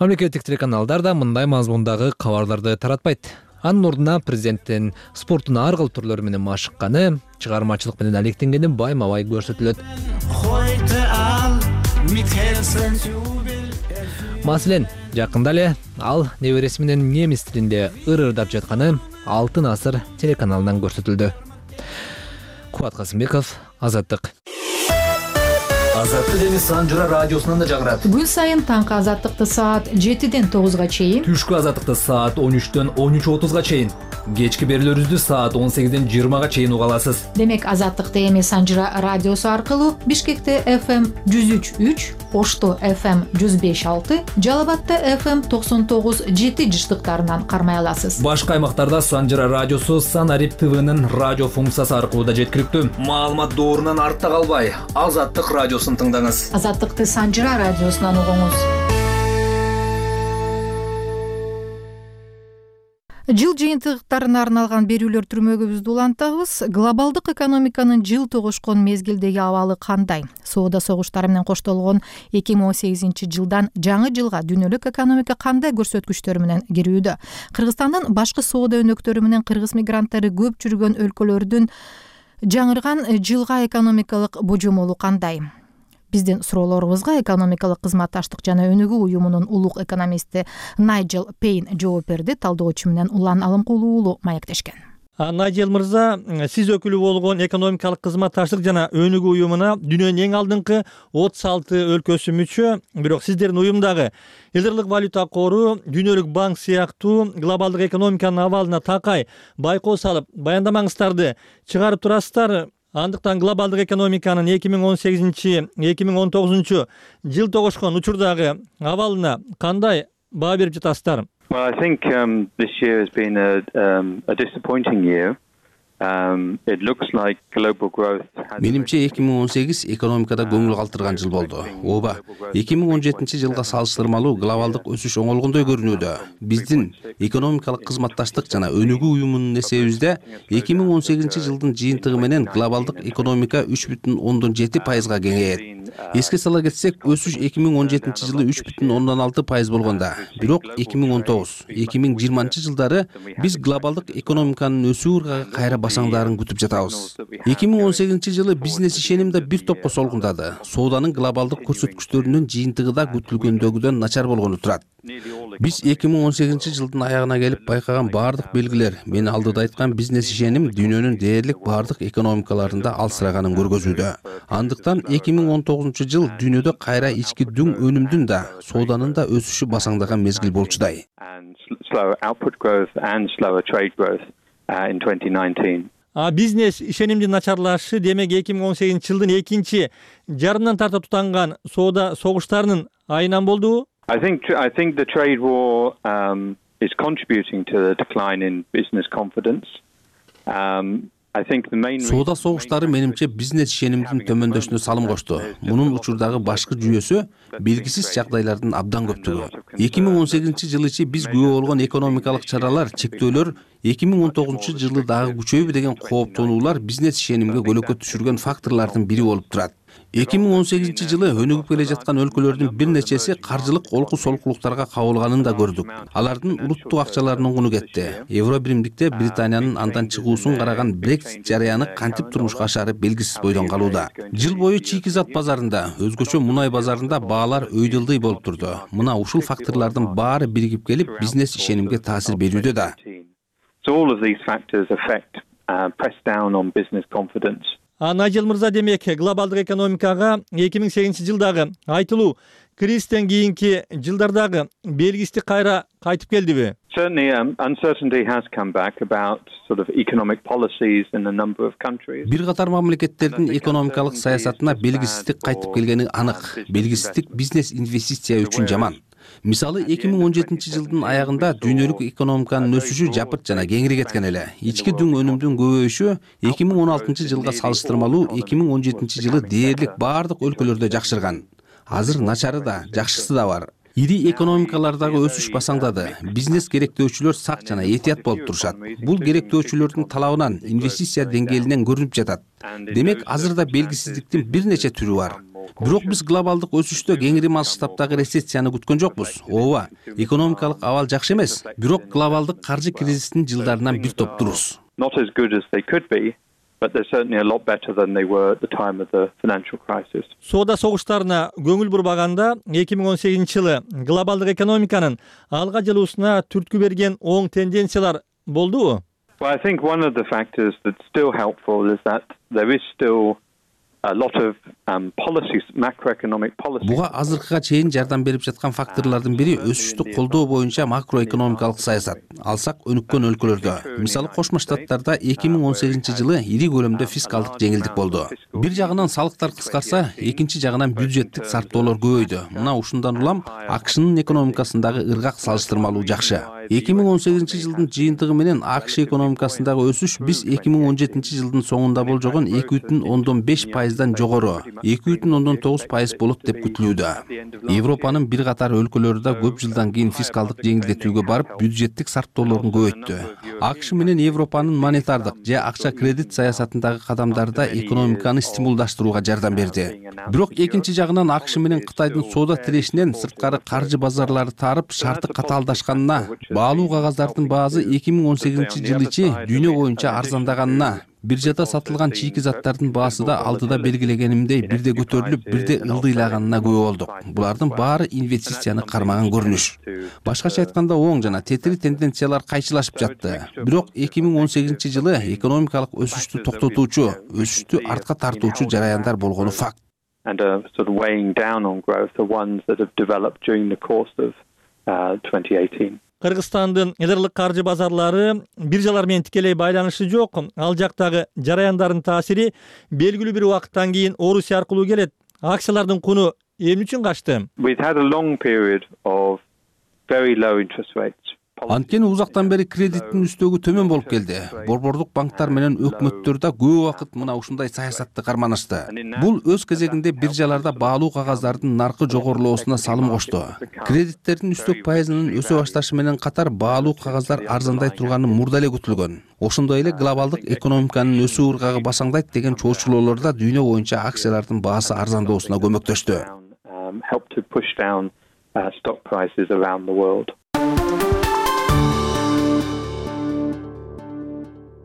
Мамлекеттик телеканалдар да мындай мазмундагы кабарларды таратпайт. Анын ордуна президенттин спорттун ар кыл түрлөрү менен машыкканы, чыгармачылык менен алектенгени байма-бай көрсөтүлөт. Маселен, жакында эле ал небереси менен немис тилинде ырырдап жатканы Алтын асыр телеканалынан көрсөтүлдү. Кубат Касымбеков, Азаттык. Азаттык эми Санжыра радиосунан да жагырат. Күн сайын таңкы Азаттыкты саат 7-ден 9-га чейин, түшкү Азаттыкты саат 13-төн 13:30-га чейин, кечки берүүлөрүбүздү саат 18-ден 20-га чейин уга аласыз. Демек Азаттыкты эми Санжыра радиосу аркылуу Бишкекте FM 103.3, Ошто FM 105.6, Жалал-Абадта FM 99.7 жыштыктарынан кармай аласыз. Башка аймактарда Санжыра радиосу Санарип ТВнын радио функциясы аркылуу да жеткиликтүү. Маалымат доорунан артта калбай, Азаттык радиосун тыңдаңыз. Азаттыкты Санжыра радиосунан угуңуз. Жыл жыйынтыктарына арналган берүүлөр түрмөгүбүздү улантабыз. Глобалдык экономиканын жыл тогушкон мезгилдеги абалы кандай? Соода согуштары менен коштолгон 2018-жылдан жаңы жылга дүйнөлүк экономика кандай көрсөткүчтөр менен кирүүдө? Кыргызстандын башкы соода өнөктөрү менен кыргыз мигранттары көп жүргөн өлкөлөрдүн жаңырган жылга экономикалык божомолу кандай? Биздин суроолорубузга экономикалык кызматташтык жана өнүгүү уюмунун улук экономисти Найджел Пейн жооп берди. Талдоочу менен Улан Алымкулуу уулу маектешкен. Найджел мырза, сиз өкүлү болгон экономикалык кызматташтык жана өнүгүү уюмуна дүйнөнүн эң алдыңкы 36 өлкөсү мүчө, бирок сиздердин уюмдагы Элдерлик валюта кору, Дүйнөлүк банк сыяктуу глобалдык экономиканын абалына такай байкоо салып, баяндамаңыздарды чыгарып турасыздар. Андыктан глобалдык экономиканын 2018-2019 жыл тогушкон учурдагы абалына кандай баа берип жатасыздар? Well, I think this year has been a disappointing year. It looks like global growth. Менимче 2018 экономикада көңүл калтырган жыл болду. Ооба, 2017-жылга салыштырмалуу глобалдык өсүш оңолгондой көрүнүүдө. Биздин экономикалык кызматташтык жана өнүгүү уюмунун эсебибизде 2018-жылдын жыйынтыгы менен глобалдык экономика 3,7%га кеңейет. Эске сала кетсек, өсүш 2017-жылы 3,6% болгондо, бирок 2019-2020 жылдары биз глобалдык экономиканын өсүү ыргагы кайра басаңдарын күтүп жатабыз. 2018-жылы бизнес ишеним да бир топко солгундады. Сооданын глобалдык көрсөткүчтөрүнүн жыйынтыгы да күтүлгөндөгүдөн начар болгону турат. Биз 2018-жылдын аягына келип байкаган бардык белгилер, мен алдыда айткан бизнес ишеним дүйнөнүн дээрлик бардык экономикаларында алсыраганын көргөзүүдө. Андыктан 2019-жыл дүйнөдө кайра ички дүң өнүмдүн да, сооданын да өсүшү басаңдаган мезгил болчудай. Бизнес ишенимдин начарлашы демек 2018-жылдын экинчи жарымынан тарта тутанган соода согуштарынын айынан болдубу? I think the trade war is contributing to the decline in business confidence. Соода согуштары менимче бизнес ишенимдин төмөндөшүнө салым кошту. Мунун учурдагы башкы жүйөсү белгисиз жагдайлардын абдан көптүгү. 2018-жылы ичи биз күбө болгон экономикалык чаралар, чектөөлөр 2019-жылы дагы күчөйбү деген кооптонуулар бизнес ишенимге көлөкө түшүргөн факторлордун бири болуп турат. 2018-жылы өнүгүп келе жаткан өлкөлөрдүн бир нечеси каржылык олку солкулуктарга кабылганын да көрдүк. Алардын улуттук акчаларынын куну кетти. Евро биримдикте Британиянын андан чыгуусун караган Brexit жарыяны кантип турмушка ашары белгисиз бойдон калууда. Жыл бою чийки зат базарында, өзгөчө мунай базарында баалар өйдөлдөй болуп турду. Мына ушул факторлордун баары биригип келип бизнес ишенимге таасир берүүдө да. So all of these factors affect press down on business confidence. Найжел мырза, демек глобалдык экономикага 2008-жылдагы айтылуу кризистен кийинки жылдардагы белгисиздик кайра кайтып келдиби? Certainly, uncertainty has come back about sort of economic policies in a number of countries. Бир катар мамлекеттердин экономикалык саясатына белгисиздик кайтып келгени анык. Белгисиздик бизнес инвестиция үчүн жаман. Мисалы 2017-жылдын аягында дүйнөлүк экономиканын өсүшү жапырт жана кеңири кеткен эле. Ички дүң өнүмдүн көбөйүшү 2016-жылга салыштырмалуу 2017-жылы дээрлик бардык өлкөлөрдө жакшырган. Азыр начары да, жакшысы да бар. Ири экономикалардагы өсүш басаңдады. Бизнес керектөөчүлөр сак жана этият болуп турушат. Бул керектөөчүлөрдүн талабынан, инвестиция деңгээлинен көрүнүп жатат. Демек, азырда белгисиздиктин бир нече түрү бар. Бирок биз глобалдык өсүштө кеңири масштабтагы рецессияны күткөн жокпуз. Ооба, экономикалык абал жакшы эмес, бирок глобалдык каржы кризисинин жылдарынан бир топтурбуз. Not as good as they could be, but they're certainly a lot better than they were at the time of the financial crisis. Соода согуштарына көңүл бурбаганда 2018-жылы глобалдык экономиканын алга жылуусуна түрткү берген оң тенденциялар болдубу? Well, I think one of the factors that's still helpful is that there is still a lot of policies, macroeconomic policies. Буга азыркыга чейин жардам берип жаткан факторлордун бири өсүштү колдоо боюнча макроэкономикалык саясат. Алсак өнүккөн өлкөлөрдө, мисалы Кошмо Штаттарда 2018-жылы ири көлөмдө фискалдык жеңилдик болду. Бир жагынан салыктар кыскарса, экинчи жагынан бюджеттик сарптоолор көбөйдү. Мына ушундан улам АКШнын экономикасындагы ыргак салыштырмалуу жакшы. 2018-жылдын жыйынтыгы менен АКШ экономикасындагы өсүш биз 2017-жылдын соңунда болжогон 2,5%дан жогору, 2,9% болот деп күтүлүүдө. Европанын бир катар өлкөлөрү да көп жылдан кийин фискалдык жеңилдетүүгө барып, бюджеттик сарптоолорун көбөйттү. АКШ менен Европанын монетардык же акча кредит саясатындагы кадамдары да экономиканы стимулдаштырууга жардам берди. Бирок экинчи жагынан АКШ менен Кытайдын соода тирешинен сырткары каржы базарлары тарып, шарты катаалдашканына, баалуу кагаздардын баасы 2018-жыл ичи дүйнө боюнча арзандаганына, биржада сатылган чийки заттардын баасы да алдыда белгилегенимдей бирде көтөрүлүп, бирде ылдыйлаганына күбө болдук. Булардын баары инвестицияны кармаган көрүнүш. Башкача айтканда, оң жана тетири тенденциялар кайчылашып жатты. Бирок 2018-жылы экономикалык өсүштү токтотуучу, өсүштү артка тартуучу жараяндар болгону факт. And sort of weighing down on growth the ones that have developed during the course of 2018. Кыргызстандын элдерлик каржы базарлары биржалар менен тикелей байланышы жок. Ал жактагы жараяндардын таасири белгилүү бир убакыттан кийин Орусия аркылуу келет. Акциялардын куну эмне үчүн качты? We've had a long period of very low interest rates. Анткени узактан бери кредиттин үстөгү төмөн болуп келди. Борбордук банктар менен өкмөттөр да көп убакыт мына ушундай саясатты карманышты. Бул өз кезегинде биржаларда баалуу кагаздардын наркы жогорулоосуна салым кошту. Кредиттердин үстөк пайызынын өсө башташы менен катар баалуу кагаздар арзандай турганы мурда эле күтүлгөн. Ошондой эле глобалдык экономиканын өсүү ыргагы басаңдайт деген чоочулоолор да дүйнө боюнча акциялардын баасы арзандоосуна көмөктөштү. Help to push down stock prices around the world.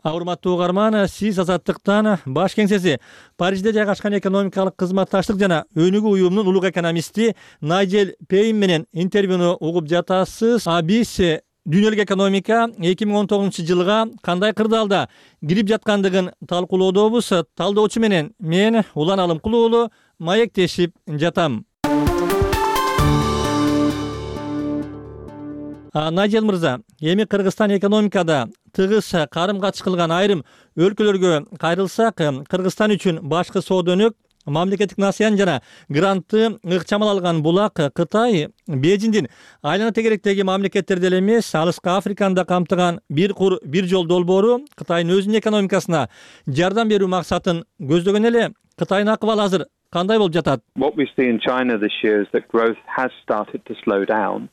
Урматтуу угарман, сиз Азаттыктан баш кеңсеси Парижде жайгашкан экономикалык кызматташтык жана өнүгүү уюмунун улук экономисти Найджел Пейн менен интервьюну угуп жатасыз. Биз дүйнөлүк экономика 2019-жылга кандай кырдаалда кирип жаткандыгын талкуулоодобуз. Талдоочу менен мен Улан Алымкул уулу маектешип жатам. Найджел мырза, эми Кыргызстан экономикада тыгыз карым-катыш кылган айрым өлкөлөргө кайрылсак, Кыргызстан үчүн башкы соода өнөк, мамлекеттик насыян жана грантты ыкчамал алган булак Кытай Бейжиңдин айлана тегеректеги мамлекеттерде эле эмес, алыскы Африканы да камтыган бир кур бир жол долбоору Кытайдын өзүнүн экономикасына жардам берүү максатын көздөгөн эле. Кытайдын акыбалы азыр кандай болуп жатат? What we see in China this year is that growth has started to slow down.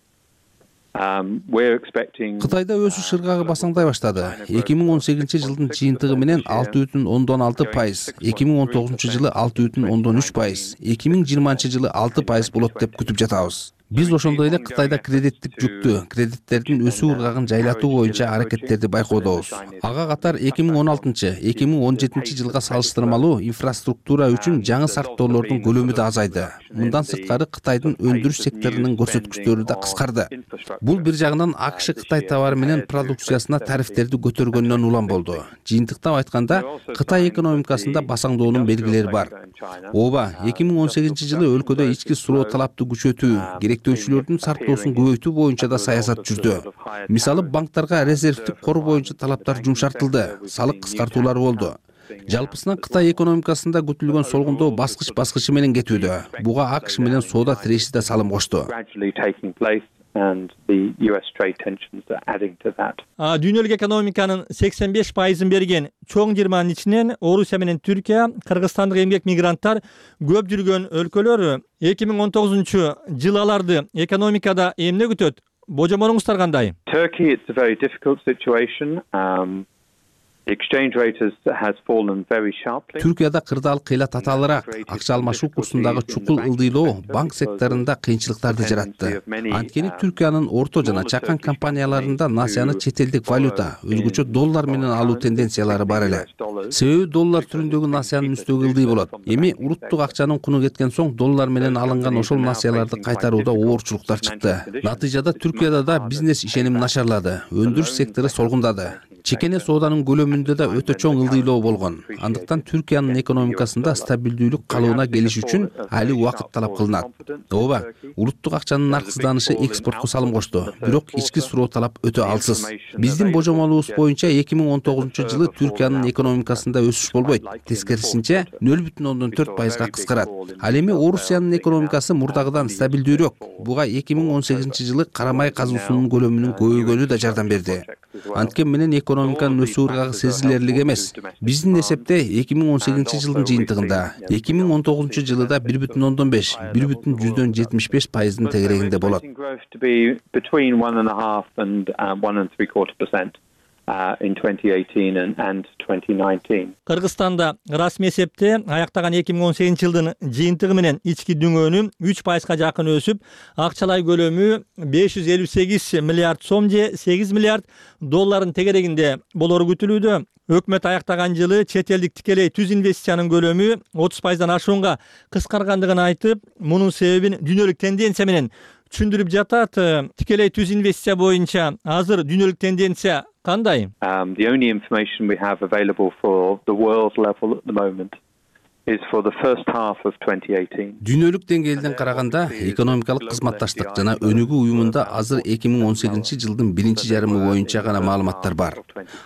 Кытайда өсүш ыргагы басаңдай баштады. 2018-жылдын жыйынтыгы менен 6,6%, 2019-жылы 6,3%, 2020-жылы 6% болот деп күтүп жатабыз. Биз ошондой эле Кытайда кредиттик жүктү, кредиттердин өсүү ыргагын жайлатуу боюнча аракеттерди байкоодобуз. Ага катар 2016-2017 жылга салыштырмалуу инфраструктура үчүн жаңы шарттоолордун көлөмү да азайды. Мындан сырткары Кытайдын өндүрүш секторунун көрсөткүчтөрү да кыскарды. Бул бир жагынан АКШ Кытай товары менен продукциясына тарифтерди көтөргөндөн улам болду. Жыйынтыктап айтканда, Кытай экономикасында басаңдоонун белгилери бар. Ооба, 2018-жылы өлкөдө ички суроо талапты күчөтүү, керектөөчүлөрдүн шарттоосун көбөйтүү боюнча да саясат жүрдү. Мисалы, банктарга резервдик кор боюнча талаптар жумшартылды, салык кыскартуулар болду. Жалпысынан Кытай экономикасында күтүлгөн солгундоо баскыч-баскычы менен кетүүдө. Буга АКШ менен соода тиреши да салым кошту. Дүйнөлүк экономиканын 85%ын берген чоң жыйырманын ичинен Орусия менен Түркия, Кыргызстандык эмгек мигранттар көп жүргөн өлкөлөр. 2019-жыл аларды экономикада эмне күтөт? Божомолуңуздар кандай? Turkey, it's a very difficult situation. Түркияда кырдаал кыйла татаалыраак, акча алмашуу курсундагы чукул ылдыйлоо банк секторунда кыйынчылыктарды жаратты. Анткени Түркиянын орто жана чакан компанияларында насыяны чет элдик валюта, өзгөчө доллар менен алуу тенденциялары бар эле. Себеби доллар түрүндөгү насыянын үстөгү ылдый болот. Эми уруттук акчанын куну кеткен соң доллар менен алынган ошол насыяларды кайтарууда оорчулуктар чыкты. Натыйжада Түркияда да бизнес ишеними начарлады, өндүрүш сектору солгундады. Чекене сооданын көлөмүндө да өтө чоң ылдыйлоо болгон. Андыктан Түркиянын экономикасында стабилдүүлүк калыбына келиш үчүн али убакыт талап кылынат. Ооба, улуттук акчанын нарксызданышы экспортко салым кошту, бирок ички суроо талап өтө алсыз. Биздин божомолубуз боюнча 2019-жылы Түркиянын экономикасында өсүш болбойт. Тескерисинче 0,4%га кыскарат. Ал эми Орусиянын экономикасы мурдагыдан стабилдүүрөөк. Буга 2018-жылы карамай казуусунун көлөмүнүн көбөйгөнү да жардам берди. Анткени менен экономиканын өсүү ыргагы сезилерлик эмес. Биздин эсепте 2018-жылдын жыйынтыгында 2019-жылда 1,5, 1,75%дын тегерегинде болот. In 2018 and 2019. Кыргызстанда расмий эсепте аяктаган 2018-жылдын жыйынтыгы менен ички дүңөөнү 3%га жакын өсүп, акчалай көлөмү 558 миллиард сом же 8 миллиард долларын тегерегинде болору күтүлүүдө. Өкмөт аяктаган жылы чет элдик тикелей түз инвестициянын көлөмү 30%дан ашуунга кыскаргандыгын айтып, мунун себебин дүйнөлүк тенденция менен түшүндүрүп жатат. Тикелей түз инвестиция боюнча азыр дүйнөлүк тенденция кандай? The only information we have available for the world level at the moment is for the first half of 2018. Дүйнөлүк деңгээлден караганда экономикалык кызматташтык жана өнүгүү уюмунда азыр 2018-жылдын биринчи жарымы боюнча гана маалыматтар бар.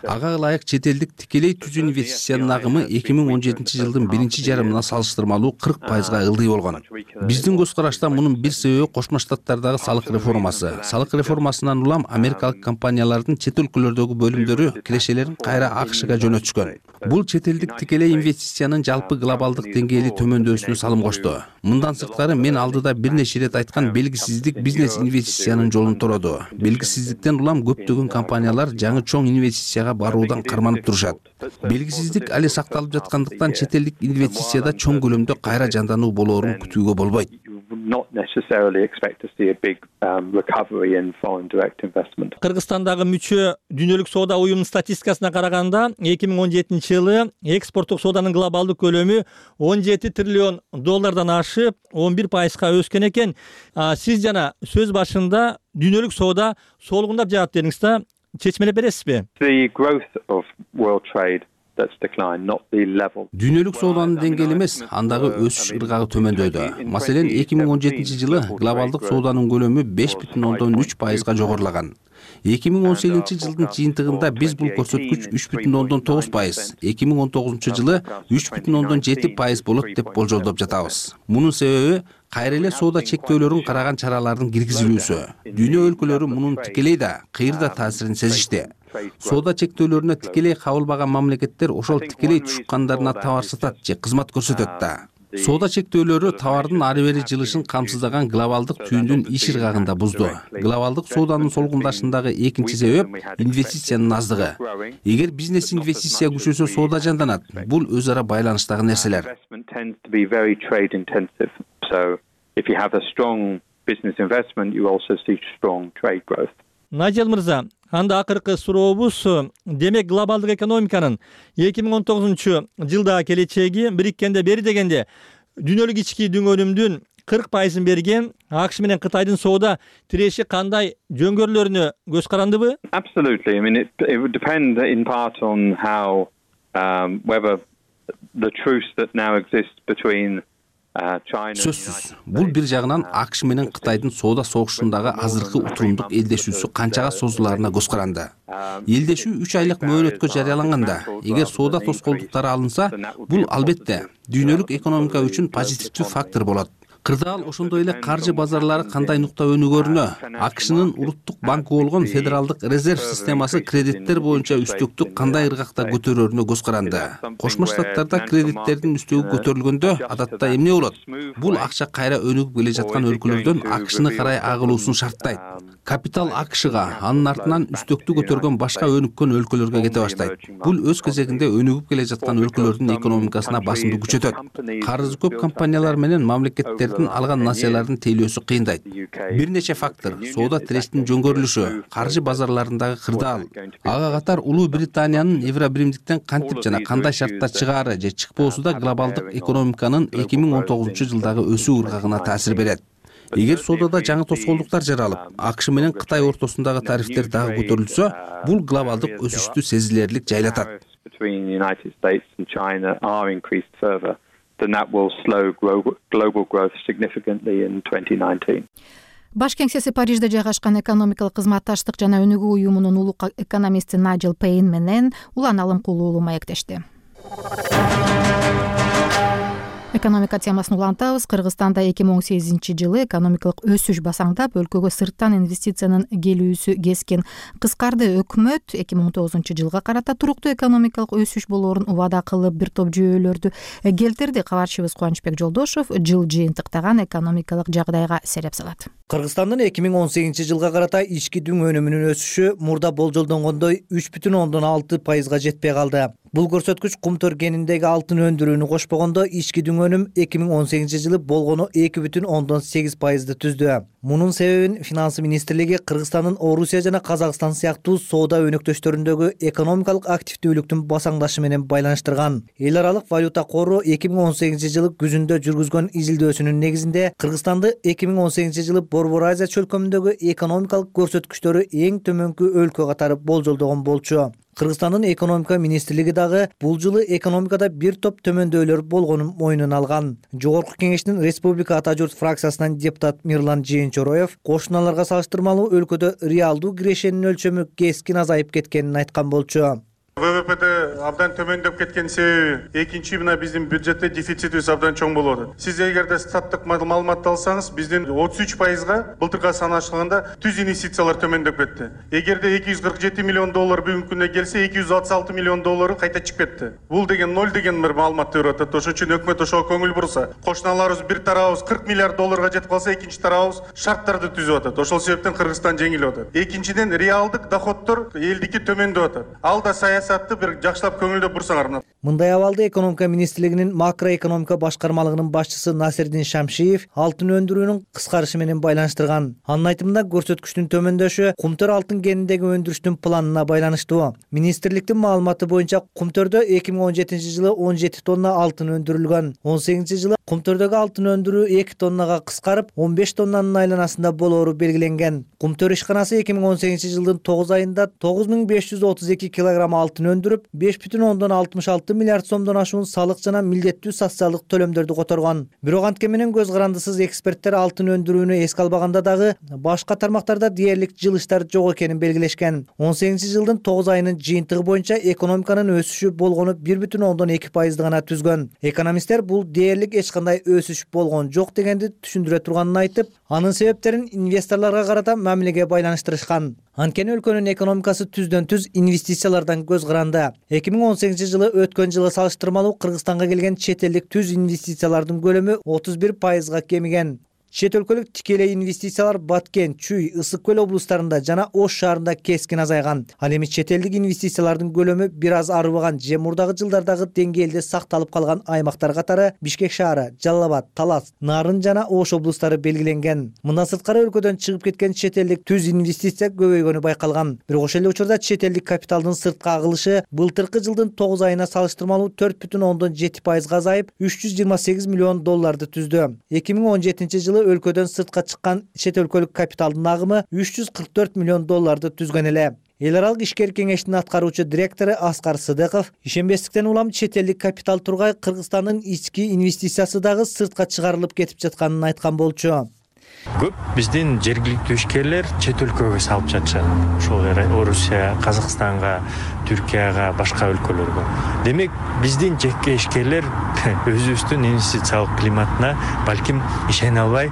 Ага ылайык чет элдик тикелей түз инвестициянын агымы 2017-жылдын биринчи жарымына салыштырмалуу 40%га ылдый болгон. Биздин көз карашта мунун бир себеби Кошмо Штаттардагы салык реформасы. Салык реформасынан улам америкалык компаниялардын чет өлкөлөрдөгү бөлүмдөрү кирешелерин кайра АКШга жөнөтүшкөн. Бул чет элдик тикелей инвестициянын жалпы глобалдык деңгээли төмөндөшүнө салым кошту. Мындан сырткары мен алдыда бир нече ирет айткан белгисиздик бизнес инвестициянын жолун тороду. Белгисиздиктен улам көптөгөн компаниялар жаңы чоң инвестицияга баруудан карманып турушат. Белгисиздик али сакталып жаткандыктан чет элдик инвестицияда чоң көлөмдө кайра жандануу болоорун күтүүгө болбойт. Not necessarily expect to see a big recovery in foreign direct investment. Кыргызстандагы мүчө дүйнөлүк соода уюмунун статистикасына караганда 2017-жылы экспорттук сооданын глобалдык көлөмү 17 триллион доллардан ашып 11%га өскөн экен. Сиз жана сөз башында дүйнөлүк соода солугундап жатат дедиңиз да, чечмелеп бересизби? The growth of world trade that's declined, not the level. Дүйнөлүк сооданын деңгээли эмес, андагы өсүш ыргагы төмөндөдү. Маселен, 2017-жылы глобалдык сооданын көлөмү 5,3%га жогорулаган. 2018-жылдын жыйынтыгында биз бул көрсөткүч 3,9%, 2019-жылы 3,7% болот деп болжолдоп жатабыз. Мунун себеби кайра эле соода чектөөлөрүн караган чаралардын киргизилүүсү. Дүйнө өлкөлөрү мунун тикелей да, кыйырда таасирин сезишти. Соода чектөөлөрүнө тикелей кабылбаган мамлекеттер ошол тикелей тушкандарына товар сатат же кызмат көрсөтөт да. Соода чектөөлөрү товардын ары бери жылышын камсыздаган глобалдык түйүндүн иш ыргагында бузду. Глобалдык сооданын солгундашындагы экинчи себеп инвестициянын аздыгы. Эгер бизнес инвестиция күчөсө, соода жанданат. Бул өз ара байланыштагы нерселер. So if you have a strong business investment, you also see strong trade growth. Najel мырза, анда акыркы сурообуз, демек глобалдык экономиканын 2019-жылдагы келечеги бириккенде бери дегенде дүйнөлүк ички дүң өнүмдүн 40%-ын берген АКШ менен Кытайдын соода тиреши кандай жөнгөрүүлөрүнө көз карандыбы? Absolutely. I mean, it would depend in part on how whether the truce that now exists between Сөзсүз, бул бир жагынан АКШ менен Кытайдын соода согушундагы азыркы утурумдук элдешүүсү канчага созуларына көз каранды. Элдешүү 3 айлык мөөнөткө жарыяланганда, эгер соода тоскоолдуктары алынса, бул албетте дүйнөлүк экономика үчүн позитивдүү фактор болот. Кырдаал ошондой эле каржы базарлары кандай нукта өнүгөрүнө, АКШнын улуттук банкы болгон Федералдык резерв системасы кредиттер боюнча үстөктү кандай ыргакта көтөрөрүнө көз каранды. Кошмо Штаттарда кредиттердин үстөгү көтөрүлгөндө адатта эмне болот? Бул акча кайра өнүгүп келе жаткан өлкөлөрдөн АКШны карай агылуусун шарттайт. Капитал АКШга, анын артынан үстөктү көтөргөн башка өнүккөн өлкөлөргө кете баштайт. Бул өз кезегинде өнүгүп келе жаткан өлкөлөрдүн экономикасына басымды күчөтөт. Карызы көп компаниялар менен мамлекеттердин алган насыялардын тейлөөсү кыйындайт. Бир нече фактор: соода тирештин жөнгөрүлүшү, каржы базарларындагы кырдаал, ага катар Улуу Британиянын Евробиримдиктен кантип жана кандай шартта чыгаары же чыкпоосу да глобалдык экономиканын 2019-жылдагы өсүү ыргагына таасир берет. Эгер соодада жаңы тоскоолдуктар жаралып, АКШ менен Кытай ортосундагы тарифтер дагы көтөрүлсө, бул глобалдык өсүштү сезилерлик жайлатат. Then that will slow global growth significantly in 2019. Баш кеңсеси Парижде жайгашкан экономикалык кызматташтык жана өнүгүү уюмунун улук экономисти Найджел Пейн менен Улан Алымкулуу маектешти. Экономика темасын улантабыз. Кыргызстанда 2018-жылы экономикалык өсүш басаңдап, өлкөгө сырттан инвестициянын келүүсү кескин кыскарды. Өкмөт 2019-жылга карата туруктуу экономикалык өсүш болоорун убада кылып, бир топ жүйөлөрдү келтирди. Кабарчыбыз Кубанычбек Жолдошов жыл жыйынтыктаган экономикалык жагдайга сереп салат. Кыргызстандын 2018-жылга карата ички дүң өнүмүнүн өсүшү мурда болжолдонгондой 3,6%га жетпей калды. Бул көрсөткүч кумтөр кениндеги алтын өндүрүүнү кошпогондо ички дүң өнүм 2018-жылы болгону 2,8%ды түздү. Мунун себебин Финансы министрлиги Кыргызстандын Орусия жана Казакстан сыяктуу соода өнөктөштөрүндөгү экономикалык активдүүлүктүн басаңдашы менен байланыштырган. Эл аралык валюта кору 2018-жылы күзүндө жүргүзгөн изилдөөсүнүн негизинде Кыргызстанды 2018-жылы Борбор Азия чөлкөмүндөгү экономикалык көрсөткүчтөрү эң төмөнкү өлкө катары болжолдогон болчу. Кыргызстандын экономика министрлиги дагы бул жылы экономикада бир топ төмөндөөлөр болгонун мойнуна алган. Жогорку кеңештин Республика Ата журт фракциясынан депутат Мирлан Жээнчороев кошуналарга салыштырмалуу өлкөдө реалдуу кирешенин өлчөмү кескин азайып кеткенин айткан болчу. ВВП'de абдан төмөндөп кеткен себеби экинчи мына биздин бюджетте дефицитибиз абдан чоң болуп атат. Сиз эгерде статтык маалыматты алсаңыз, биздин 33%га былтыркы санашылганда түз инвестициялар төмөндөп кетти. Эгерде 247 миллион доллар бүгүнкү күндө келсе, 266 миллион доллары кайта чыгып кетти. Бул деген 0 деген бир маалымат берип атат. Ошон үчүн өкмөт ошого көңүл бурса, кошуналарыбыз бир тарабыбыз 40 миллиард долларга жетип калса, экинчи тарабыбыз шарттарды түзүп атат. Ошол себептен Кыргызстан жеңилип атат. Экинчиден реалдык доходдор элдики төмөндөп атат. Ал да саясатты бир жакшылап көңүлдөп бурсаңар. Мындай абалды экономика министрлигинин макроэкономика башкармалыгынын башчысы Насирдин Шамшиев алтын өндүрүүнүн кыскарышы менен байланыштырган. Анын айтымында көрсөткүчтүн төмөндөшү кумтөр алтын кениндеги өндүрүштүн планына байланыштуу. Министрликтин маалыматы боюнча кумтөрдө 2017 жылы 17 тонна алтын өндүрүлгөн. 18 жылы кумтөрдөгү алтын өндүрүү 2 тоннага кыскарып, 15 тоннанын айланасында болоору белгиленген. Кумтөр ишканасы 2018 жылдын 9 айында 9532 килограмм алтын өндүрүп, 5,66 миллиард сомдон ашуун салык жана милдеттүү социалдык төлөмдөрдү которгон. Бирок антке менен көз карандысыз эксперттер алтын өндүрүүнү эске албаганда дагы башка тармактарда дээрлик жылыштар жок экенин белгилешкен. 18 жылдын 9 айынын жыйынтыгы боюнча экономиканын өсүшү болгону 1,2% гана түзгөн. Экономисттер бул дээрлик эч кандай өсүш болгон жок дегенди түшүндүрө турганын айтып, анын себептерин инвесторлорго карата мамилеге байланыштырышкан. Анткени өлкөнүн экономикасы түздөн түз инвестициялардан көз каранды. 2018 жылы өткөн жылы салыштырмалуу Кыргызстанга келген чет элдик түз инвестициялардын көлөмү 31% кемиген. Чет өлкөлүк тикелей инвестициялар Баткен, Чүй, Ысык көл облустарында жана Ош шаарында кескин азайган. Ал эми чет элдик инвестициялардын көлөмү бир аз арыбаган же мурдагы жылдардагы деңгээлде сакталып калган аймактар катары Бишкек шаары, Жалал Абад, Талас, Нарын жана Ош облустары белгиленген. Мындан сырткары өлкөдөн чыгып кеткен чет элдик түз инвестиция көбөйгөнү байкалган. Бирок ошол эле учурда чет элдик капиталдын сыртка агылышы былтыркы жылдын 9 айына салыштырмалуу 4,7% азайып, $328 миллион түздү. 2017 жылы өлкөдөн сыртка чыккан чет өлкөлүк капиталдын агымы $344 миллион түзгөн эле. Эл аралык ишкер кеңештин аткаруучу директору Аскар Сыдыков ишенбестиктен улам чет элдик капитал тургай Кыргызстандын ички инвестициясы дагы сыртка чыгарылып кетип жатканын айткан болчу. Көп биздин жергиликтүү ишкерлер чет өлкөгө салып жатышат. Ошол Орусия, Казакстанга, Түркияга, башка өлкөлөргө. Демек, биздин жеке ишкерлер өзүбүздүн инвестициялык климатына балким ишене албай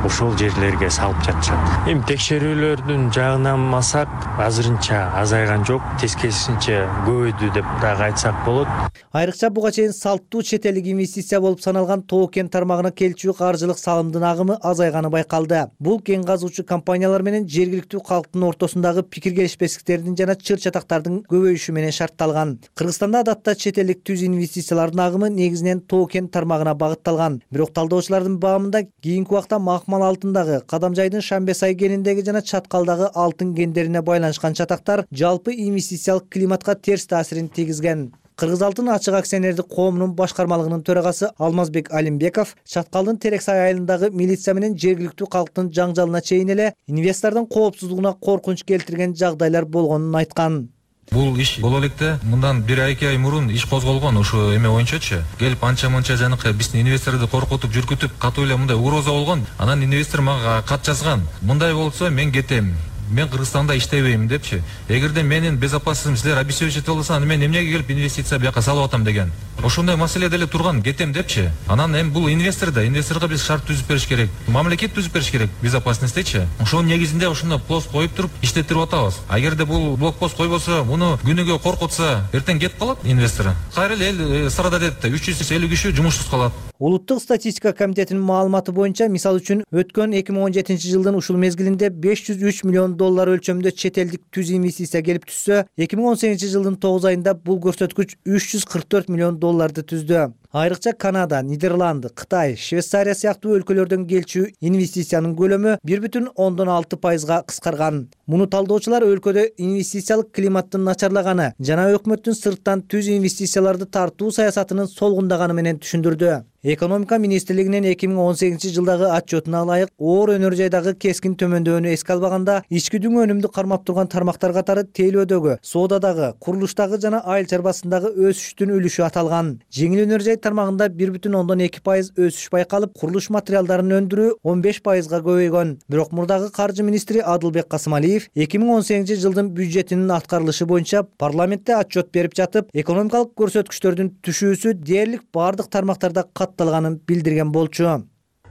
ошол жерлерге салып жатышат. Эми текшерүүлөрдүн жагынан алсак, азырынча азайган жок, тескерисинче көбөйдү деп дагы айтсак болот. Айрыкча буга чейин салттуу чет элдик инвестиция болуп саналган Тоо кен тармагына келчү каржылык салымдын агымы азайганы байкалды. Бул кен казуучу компаниялар менен жергиликтүү калктын ортосундагы пикир келишпестиктердин жана чыр чатактардын көбөйүшү менен шартталган. Кыргызстанда адатта чет элдик түз инвестициялардын агымы негизинен Тоо кен тармагына багытталган. Бирок талдоочулардын баамында кийинки убакта Макмал алтындагы, Кадамжайдын Шамбесай кеніндеги жана Чаткалдагы алтын кендерине байланышкан чатактар жалпы инвестициялык климатка терс таасирин тийгизген. Кыргыз алтын ачык акционердик коомунун башкармалыгынын төрагасы Алмазбек Алимбеков Чаткалдын Терексай айылындагы милиция менен жергиликтүү калктын жаңжалына чейин эле инвестордун коопсуздугуна коркунуч келтирген жагдайлар болгонун айткан. Бул иш боло электе мындан 1-2 ай мурун иш козголгон ошо эме боюнчачы. Келип анча-мынча жанакы биздин инвесторду коркутуп, жүргүтүп, катуу эле мындай угроза болгон. Анан инвестор мага кат жазган. Мындай болсо мен кетем. Мен Кыргызстанда иштебейм депчи. Эгерде менин безопасностьтум силер обеспечить болсо, аны мен эмнеге келип инвестиция бияка салып атам деген. Ошондой маселе деле турган, кетем депчи. Анан эми бул инвесторго биз шарт түзүп бериш керек. Мамлекет түзүп бериш керек безопасностьтечи. Ошонун негизинде ошондой пост коюп туруп иштетирип атабыз. Агерде бул блокпост койбосо, муну күнүгө коркутса, эртең кетип калат инвестор. Кайра эле эл страдать этти. 350 киши жумушсуз калат. Улуттук статистика комитетинин маалыматы боюнча, мисалы үчүн өткөн 2017 жылдын ушул мезгилинде $503 миллион өлчөмдө чет элдик түз инвестиция келип түшсө, 2018 жылдын 9 айында бул көрсөткүч $344 миллион түздү. Айрыкча Канада, Нидерланды, Кытай, Швейцария сыяктуу өлкөлөрдөн келчү инвестициянын көлөмү 1,6% кыскарган. Муну талдоочулар өлкөдө инвестициялык климаттын начарлаганы жана өкмөттүн сырттан түз инвестицияларды тартуу саясатынын солгундаганы менен түшүндүрдү. Экономика министрлигинин 2018 жылдагы отчетуна ылайык, оор өнөр жайдагы кескин төмөндөөнү эске албаганда, ички дүң өнүмдү кармап турган тармактар катары тейлөөдөгү, соодадагы, курулуштагы жана айыл чарбасындагы өсүштүн үлүшү аталган. Жеңил өнөр жай тармагында 1,2% өсүш байкалып, курулуш материалдарын өндүрүү 15%га көбөйгөн. Бирок мурдагы каржы министри Адылбек Касымалиев 2018 жылдын бюджетинин аткарылышы боюнча парламентте отчет берип жатып, экономикалык көрсөткүчтөрдүн түшүүсү дээрлик бардык тармактарда катталганын билдирген болчу.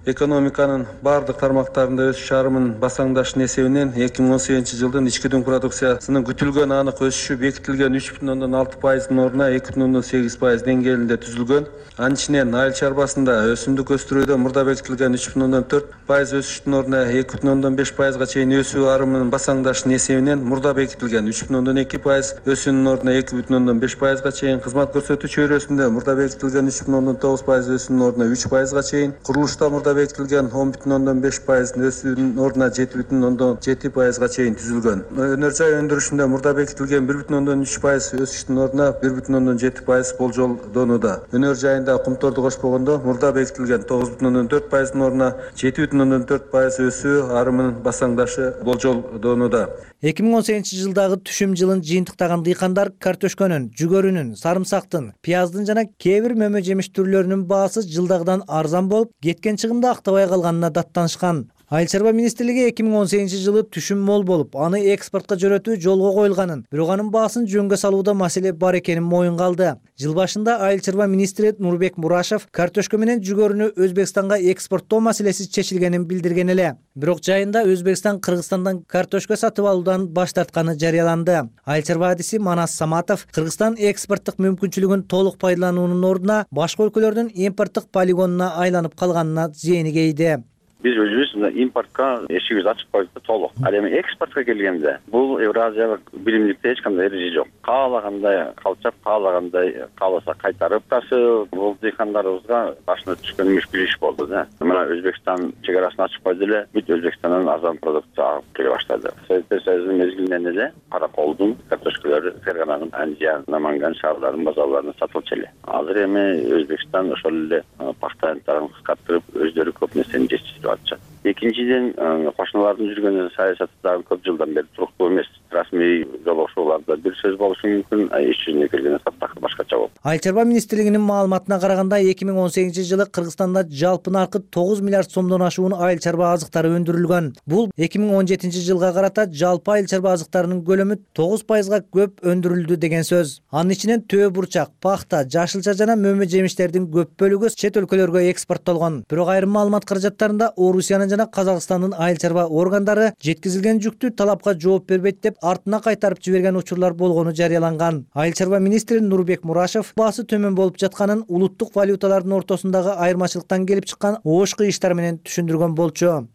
экономиканын баардык тармактарында өсүш арымын басаңдашынын эсебинен 2018 жылдын ички дүң продукциясынын күтүлгөн анык өсүшү бекитилген 3,6%-дын ордуна 2,8% деңгээлинде түзүлгөн. Анын ичинен айыл чарбасында өсүмдүк өстүрүүдө мурда бекитилген 3,4% өсүштүн ордуна 2,5%га чейин өсүү арымынын басаңдашынын эсебинен мурда бекитилген 3,2% өсүүнүн ордуна 2,5%га чейин, кызмат көрсөтүү чөйрөсүндө мурда бекитилген 3,9% өсүүнүн ордуна 3%га чейин, курулушта мурда бекитилген 10,5% өсүүнүн ордуна 7,7%га чейин түзүлгөн. Өнөр жай өндүрүшүндө мурда бекитилген 1,3% өсүштүн ордуна 1,7% болжолдонууда. Өнөр жайында кумторду кошпогондо мурда бекитилген 9,4%-дын ордуна 7,4% өсүү арымынын басаңдашы болжолдонууда. 2018 жылдагы түшүм жылын жыйынтыктаган дыйкандар картөшкөнүн, жүгөрүнүн, сарымсактын, пияздын жана кээ бир мөмө жемиш түрлөрүнүн баасы жылдагыдан арзан болуп, кеткен чыгымды актабай калганына даттанышкан. Айыл чарба министрлиги 2018 жылы түшүм мол болуп, аны экспортко жөнөтүү жолго коюлганын, бирок анын баасын жөнгө салууда маселе бар экенин моюнга алды. Жыл башында айыл чарба министри Нурбек Мурашев картөшкө менен жүгөрүнү Өзбекстанга экспорттоо маселеси чечилгенин билдирген эле. Бирок жайында Өзбекстан Кыргызстандан картөшкө сатып алуудан баш тартканы жарыяланды. Айыл чарба адиси Манас Саматов Кыргызстан экспорттук мүмкүнчүлүгүн толук пайдалануунун ордуна башка өлкөлөрдүн импорттук полигонуна айланып калганына зээни кейди. Биз өзүбүз импортко эшигибизди ачып койдук толук. Ал эми экспортко келгенде бул Евразиялык биримдикте эч кандай эреже жок. Каалагандай калчап, каалагандай кааласа кайтарып ташып, бул дыйкандарыбызга башына түшкөн мүшкүл иш болду да. Мына Өзбекстан чек арасын ачып койду эле, бүт Өзбекстандан арзан продукция алып келе баштады. Советтер Союзунун мезгилинен эле караколдун, картөшкөлөрү, Фергананын, Анжиян, Наманган шаарларынын базарларына сатылчу эле. Азыр эми Өзбекстан ошол эле пахта ынтарын кыскартырып, өздөрү көп нерсени жетиштирип атышат. Экинчиден, кошуналардын жүргөн саясаты дагы көп жылдан бери туруктуу эмес. Расмий жолугушууларда бир сөз болушу мүмкүн, иш жүзүнө келгенде такыр башкача болот. Айыл чарба министрлигинин маалыматына караганда 2018 жылы Кыргызстанда жалпы наркы 9 миллиард сомдон ашуун айыл чарба азыктары өндүрүлгөн. Бул 2017 жылга карата жалпы айыл чарба азыктарынын көлөмү 9%га көп өндүрүлдү деген сөз. Анын ичинен төө бурчак, пахта, жашылча жана мөмө жемиштердин көп бөлүгү чет өлкөлөргө экспорттолгон. Бирок айрым маалымат каражаттарында Орусиянын жана Казакстандын айыл чарба органдары жеткизилген жүктү талапка жооп бербейт деп артына кайтарып жиберген учурлар болгону жарыяланган. Айыл чарба министри Нурбек Мурашев баасы төмөн болуп жатканын улуттук валюталардын ортосундагы айырмачылыктан келип чыккан ошку иштар менен түшүндүргөн болчу.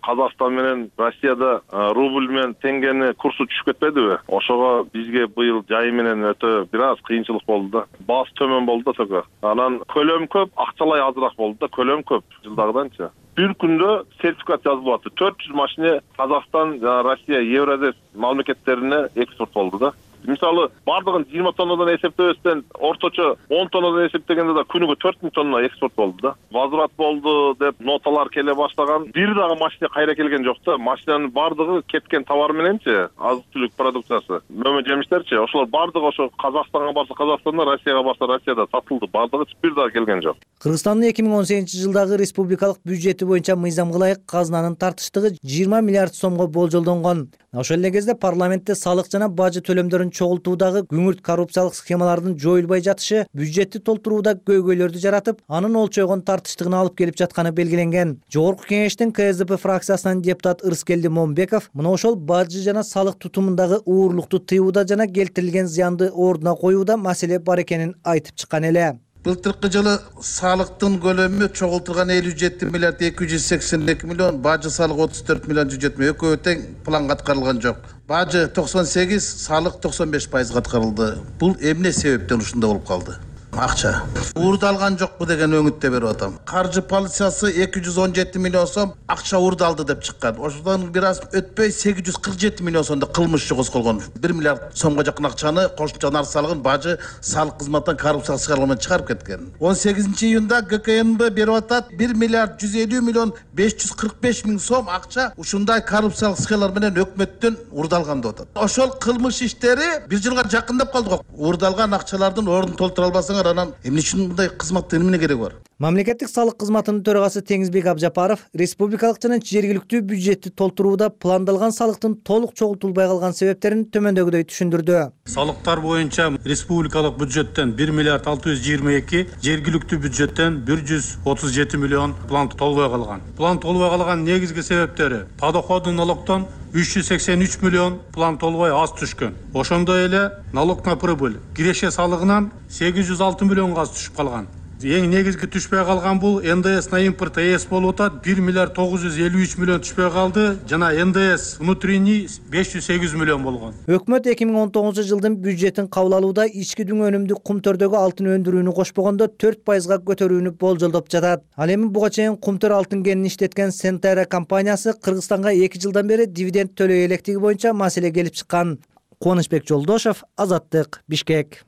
Казакстан менен Россияда рубль менен теңгени курсу түшүп кетпедиби? Ошого бизге быйыл жай менен өтө бир аз кыйынчылык болду да. Баасы төмөн болду да только. Анан көлөм көп, акчалай азыраак болду да, көлөм көп жылдагыданчы. Бир күндө сертификат жазылып атты. 400 машина Казакстан жана Россия, Евразес мамлекеттерине экспорт болду да. Мисалы, бардыгын 20 тоннадан эсептебестен орточо 10 тоннадан эсептегенде да күнүгө 4000 тонна экспорт болду да. Возврат болду деп ноталар келе баштаган. Бир дагы машина кайра келген жок да. Машинанын бардыгы кеткен товар мененчи, азык-түлүк продукциясы, мөмө жемиштерчи, ошолор бардыгы ошо Казакстанга барса Казакстанда, Россияга барса Россияда сатылды. Бардыгы бир дагы келген жок. Кыргызстандын 2018 жылдагы республикалык бюджети боюнча мыйзамга ылайык казынанын тартыштыгы 20 миллиард сомго болжолдонгон. Ошол эле кезде парламентте салык жана бажы төлөмдөрүн чогултуудагы күңүрт коррупциялык схемалардын жоюлбай жатышы бюджетти толтурууда көйгөйлөрдү жаратып, анын олчойгон тартыштыгына алып келип жатканы белгиленген. Жогорку кеңештин КСДП фракциясынан депутат Ырыскелди Момбеков мына ошол бажы жана салык тутумундагы уурлукту тыюуда жана келтирилген зыянды ордуна коюуда маселе бар экенин айтып чыккан эле. Былтыркы жылы салыктын көлөмү чогултулган 57 миллиард 282 миллион, бажы салык 34 миллион 170. Экөө тең планга аткарылган жок. Бажы 98, салык 95% аткарылды. Бул эмне себептен ушундай болуп калды? Акча уурдалган жокпу деген өңүттө берип атам. Каржы полициясы 217 миллион сом акча уурдалды деп чыккан. Ошондон бир аз өтпөй 847 миллион сомдо кылмыш козголгон. 1 миллиард сомго жакын акчаны кошумча нарк салыгын бажы салык кызматтан коррупциялык схема менен чыгарып кеткен. 18 июнда ГКНБ берип атат 1 миллиард 150 миллион 545 миң сом акча ушундай коррупциялык схемалар менен өкмөттөн уурдалган деп атат. Ошол кылмыш иштери бир жылга жакындап калды го. Уурдалган акчалардын ордун толтура албасаңар бар, анан эмне үчүн мындай кызматтын эмне кереги бар? Мамлекеттик салык кызматынын төрагасы Теңизбек Абжапаров республикалык жана жергиликтүү бюджетти толтурууда пландалган салыктын толук чогултулбай калган себептерин төмөндөгүдөй түшүндүрдү. Салыктар боюнча республикалык бюджеттен 1 миллиард 622, жергиликтүү бюджеттен 137 миллион план толбой калган. План толбой калган негизги себептери: подоходный налогтон 383 миллион план толбой аз түшкөн. Ошондой эле налог на прибыль, киреше салыгынан 806 миллионго аз түшүп калган. Эң негизги түшпөй калган бул НДС на импорт ЭС болуп атат. 1 миллиард 953 миллион түшпөй калды жана НДС внутренний 508 миллион болгон. Өкмөт 2019-жылдын бюджетин кабыл алууда ички дүң өнүмдү кумтөрдөгү алтын өндүрүүнү кошпогондо 4%га көтөрүүнү болжолдоп жатат. Ал эми буга чейин кумтөр алтын кенин иштеткен Сентера компаниясы Кыргызстанга 2 жылдан бери дивиденд төлөй электиги боюнча маселе келип чыккан. Кубанычбек Жолдошов, Азаттык, Бишкек.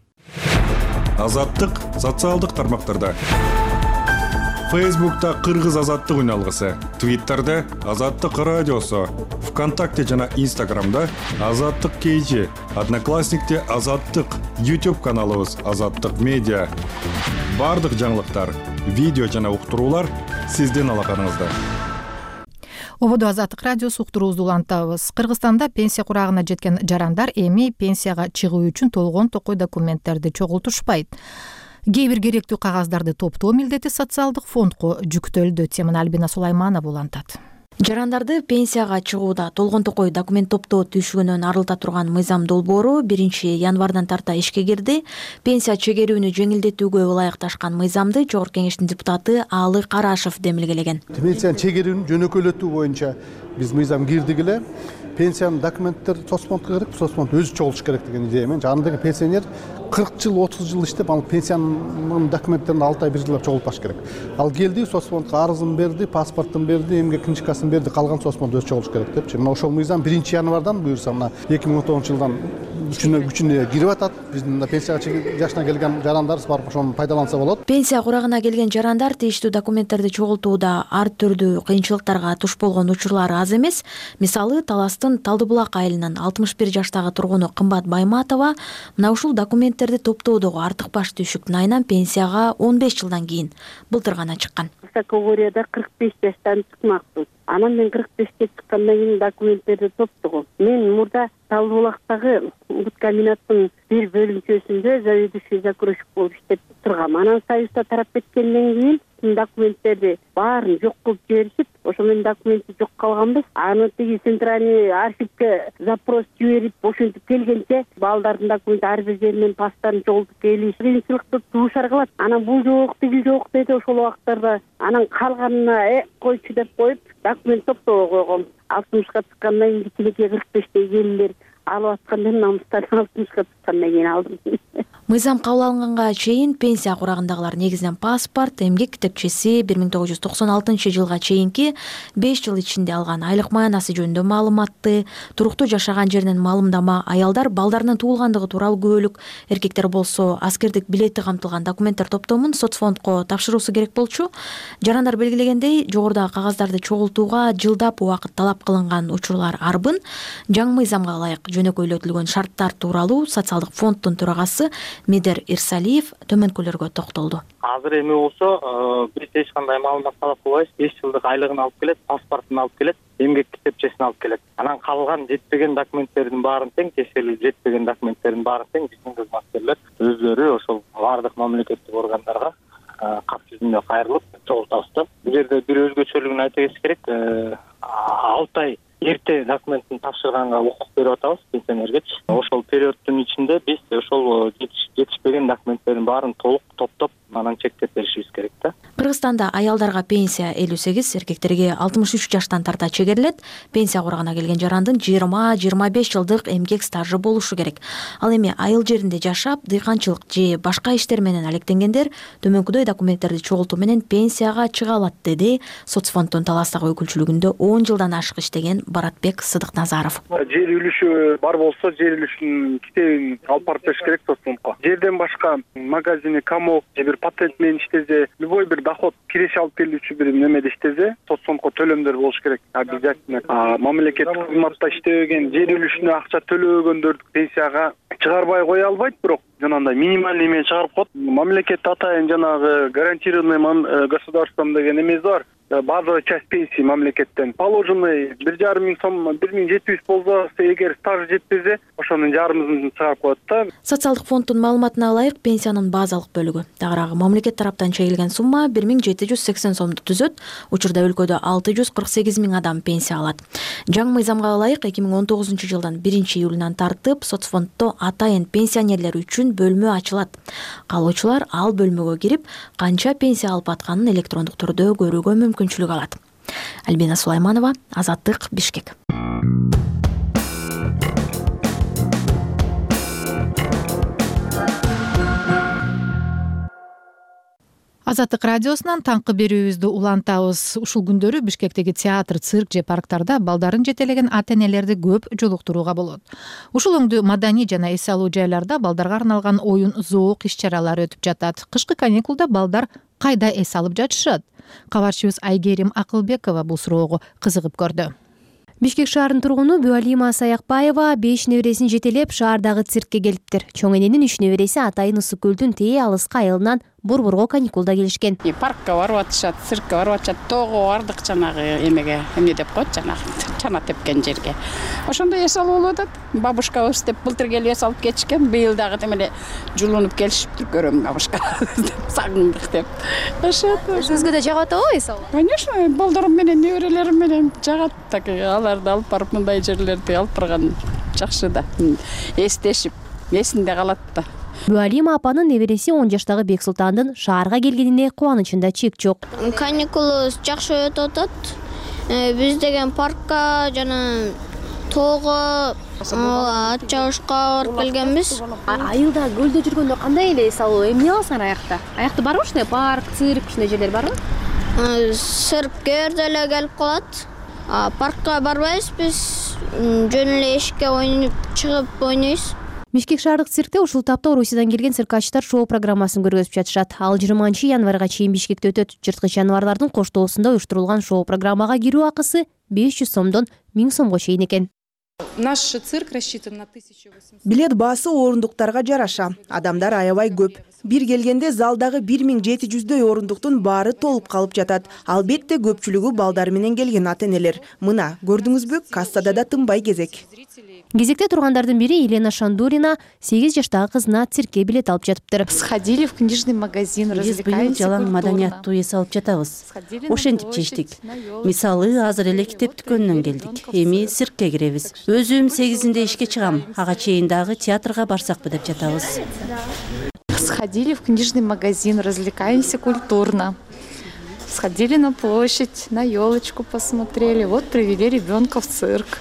Азаттык социалдык тармактарда. Фейсбукта Кыргыз Азаттык үналгысы, Твиттерде Азаттык радиосу, ВКонтакте жана Инстаграмда Азаттык KG, Одноклассникте Азаттык, YouTube каналыбыз Азаттык медиа. Бардык жаңылыктар, видео жана уктуруулар сиздин алаканыңызда. Ободо Азаттык радиосу уктуруубузду улантабыз. Кыргызстанда пенсия курагына жеткен жарандар эми пенсияга чыгуу үчүн толгон токой документтерди чогултушпайт. Кээ бир керектүү кагаздарды топтоо милдети социалдык фондко жүктөлдү. Теманы Альбина Сулайманова улантат. Жарандарды пенсияга чыгууда толгон токой документ топтоо түйшүгүнөн арылта турган мыйзам долбоору 1-январдан тарта ишке кирди. Пенсия чегерүүнү жеңилдетүүгө ылайыкташкан мыйзамды Жогорку Кеңештин депутаты Аалы Карашев демилгелеген. Пенсияны чегерүүнү жөнөкөйлөтүү боюнча биз мыйзам кирдик эле. Пенсиянын документтер соцфондко керек, соцфонд өзү чогулуш керек деген идея менен жанындагы пенсионер 40 жыл, 30 жыл иштеп, ал пенсиянын документтерин 6 ай 1 жылдап чогултпаш керек. Ал келди, соцфондко арызын берди, паспортун берди, эмгек книжкасын берди, калган соцфонд өзү чогулуш керек депчи. Мына ошол мыйзам 1-январдан буюрса, мына 2019-жылдан күчүнө кирип атат. Биздин пенсияга жашына келген жарандарыбыз барып ошону пайдаланса болот. Пенсия курагына келген жарандар тийиштүү документтерди чогултууда ар түрдүү кыйынчылыктарга туш болгон учурлар аз эмес. Мисалы, Таластын Талдыбулак айылынын 61 жаштагы тургуну Кымбат Байматова мына ушул документтерди топтоодогу артык баш түйшүктүн айынан пенсияга 15 жылдан кийин былтыр гана чыккан. Категорияда 45 жаштан чыкмакпыз. Анан мен 45-ке чыккандан кийин документтерди топтогом. Мен мурда Талдыбулактагы комбинаттын бир бөлүнчөсүндө заведующий закройщик болуп иштеп тургам. Анан Союзда тарап кеткенден кийин документтерди баарын жок кылып жиберишип, ошо менен документи жок калганбыз. Аны тиги центральный архивге запрос жиберип, ошентип келгенче балдардын документи ар бир жеринен пастарын чогултуп келиш кыйынчылыкты туушар кылат. Анан бул жок, тигил жок деди ошол убактарда. Анан калганына койчу деп коюп документ топтоого койгом. 60-ка чыккандан кийин кичинекей 45-те келдилер. Алып аткандан намыстан 60-ка чыккандан кийин алдым. Мыйзам кабыл алынганга чейин пенсия курагындагылар негизинен паспорт, эмгек китепчеси, 1996-жылга чейинки 5 жыл ичинде алган айлык маянасы жөнүндө маалыматты, туруктуу жашаган жеринен маалымдама, аялдар балдарынын туулгандыгы тууралуу күбөлүк, эркектер болсо аскердик билети камтылган документтер топтомун соцфондко тапшыруусу керек болчу. Жарандар белгилегендей, жогорудагы кагаздарды чогултууга жылдап убакыт талап кылынган учурлар арбын. Жаңы мыйзамга ылайык жөнөкөйлөтүлгөн шарттар тууралуу социалдык фонддун төрагасы Медер Ирсалиев төмөнкөлөргө токтолду. Азыр эми болсо биз эч кандай маалымат талап кылбайбыз. 5 жылдык айлыгын алып келет, паспортун алып келет, эмгек китепчесин алып келет. Анан калган жетпеген документтердин баарын тең текшерилип, жетпеген документтердин баарын тең биздин кызматкерлер өздөрү ошол бардык мамлекеттик органдарга кат жүзүндө кайрылып чогултабыз да. Бул жерде бир өзгөчөлүгүн айта кетиш керек. 6 ай эрте документин тапшырганга укук берип атабыз пенсионергечи. Ошол периоддун ичинде биз ошол жетишпеген документтердин баарын толук топтоп, анан чектеп беришибиз керек да. Кыргызстанда аялдарга пенсия 58, эркектерге 63 жаштан тарта чегерилет. Пенсия курагына келген жарандын 20-25 жылдык эмгек стажы болушу керек. Ал эми айыл жеринде жашап, дыйканчылык же башка иштер менен алектенгендер төмөнкүдөй документтерди чогултуу менен пенсияга чыга алат, деди соцфонддун Таластагы өкүлчүлүгүндө 10 жылдан ашык иштеген Баратбек Сыдыкназаров. Жер үлүшү бар болсо, жер үлүшүнүн китебин алып барып бериш керек соцфондко. Жерден башка магазини, комок же бир патент менен иштесе, любой бир доход киреше алып келүүчү бир немеде иштесе, соцфондко төлөмдөр болуш керек. Обязательно мамлекеттик кызматта иштебеген, жер үлүшүнө акча төлөбөгөндөр пенсияга чыгарбай кое албайт, бирок жанагындай минимальный менен чыгарып коет. Мамлекет атайын жанагы гарантированный государством деген эмеси бар. Базовая часть пенсии мамлекеттен положенный 1,5 миң сом, 1700 болсо, эгер стаж жетпесе, ошонун жарымын чыгарып коет да. Социалдык фонддун маалыматына ылайык, пенсиянын базалык бөлүгү, тагыраагы мамлекет тараптан чегилген сумма 1780 сомду түзөт. Учурда өлкөдө 648 миң адам пенсия алат. Жаңы мыйзамга ылайык 2019 жылдан 1-июлунан тартып соцфонддо атайын пенсионерлер үчүн бөлмө ачылат. Калуучулар ал бөлмөгө кирип, канча пенсия алып атканын электрондук түрдө көрүүгө мүмкүнчүлүк алат. Альбина Сулайманова, Азаттык, Бишкек. Азаттык радиосунан таңкы берүүбүздү улантабыз. Ушул күндөрү Бишкектеги театр, цирк же парктарда балдарын жетелеген ата-энелерди көп жолуктурууга болот. Ушул өңдүү маданий жана эс алуу жайларда балдарга арналган оюн, зоок иш-чаралары өтүп жатат. Кышкы каникулда балдар кайда эс алып жатышат? Кабарчыбыз Айгерим Акылбекова бул суроого кызыгып көрдү. Бишкек шаарынын тургуну Бюалима Саякбаева 5 небересин жетелеп шаардагы циркке келиптир. Чоң эненин 3 небереси атайын Ысык көлдүн тээ алыска айылынан Борборго каникулда келишкен. Паркка барып атышат, циркке барып атышат, тоого бардык жанагы эмеге, эмне деп коет жанагы чана тепкен жерге. Ошондой эс алып болуп атат. Бабушкабыз деп былтыр келип эс алып кетишкен, быйыл дагы демеле жулунуп келишиптир, көрөм бабушка. Сагындык деп. Өзүңүзгө да жагат абы эс алуу? Конечно, балдарым менен, неберелерим менен жагат. Так аларды алып барып мындай жерлерди алып барган жакшы да. Эстешип, эсинде калат да. Бюалима апанын небереси 10 жаштагы Бексултандын шаарга келгенине кубанычында чек жок. Каникулубуз жакшы өтүп атат. Биз деген паркка жана тоого, ат чабышка барып келгенбиз. Айылда көлдө жүргөндө кандай эле эс алуу? Эмне аласыңар аякта? Аякта барбы ушундай парк, цирк, ушундай жерлер барбы? Циркке деле келип калат. Паркка барбайбыз биз, жөн эле эшикке ойноп чыгып ойнойбуз. Бишкек шаардык циркте ушул тапта Орусиядан келген циркачтар шоу программасын көргөзүп жатышат. Ал 20-январга чейин Бишкекте өтөт. Жырткыч жаныбарлардын коштоосунда уюштурулган шоу программага кирүү акысы 500 сомдон 1000 сомго чейин экен. Наш цирк рассчитан на 1800. Билет баасы орундуктарга жараша. Адамдар аябай көп. Бир келгенде залдагы 1700дөй орундуктун баары толуп калып жатат. Албетте көпчүлүгү балдар менен келген ата-энелер. Мына, көрдүңүзбү, кассада да тынбай кезек. Кезекте тургандардын бири Елена Шандурина 8 жаштагы кызына циркке билет алып жатыптыр. Сходили в книжный магазин, развлекаемся культурно. Жалаң маданияттуу эс алып жатабыз. Ошентип чечтик. Мисалы, азыр эле китеп дүкөнүнөн келдик. Эми циркке киребиз. Өзүм 8-inde ишке чыгам. Ага чейин дагы театрга барсакпы деп жатабыз. Сходили в книжный магазин, развлекаемся культурно. Сходили на площадь, на елочку посмотрели. Вот привели ребенка в цирк.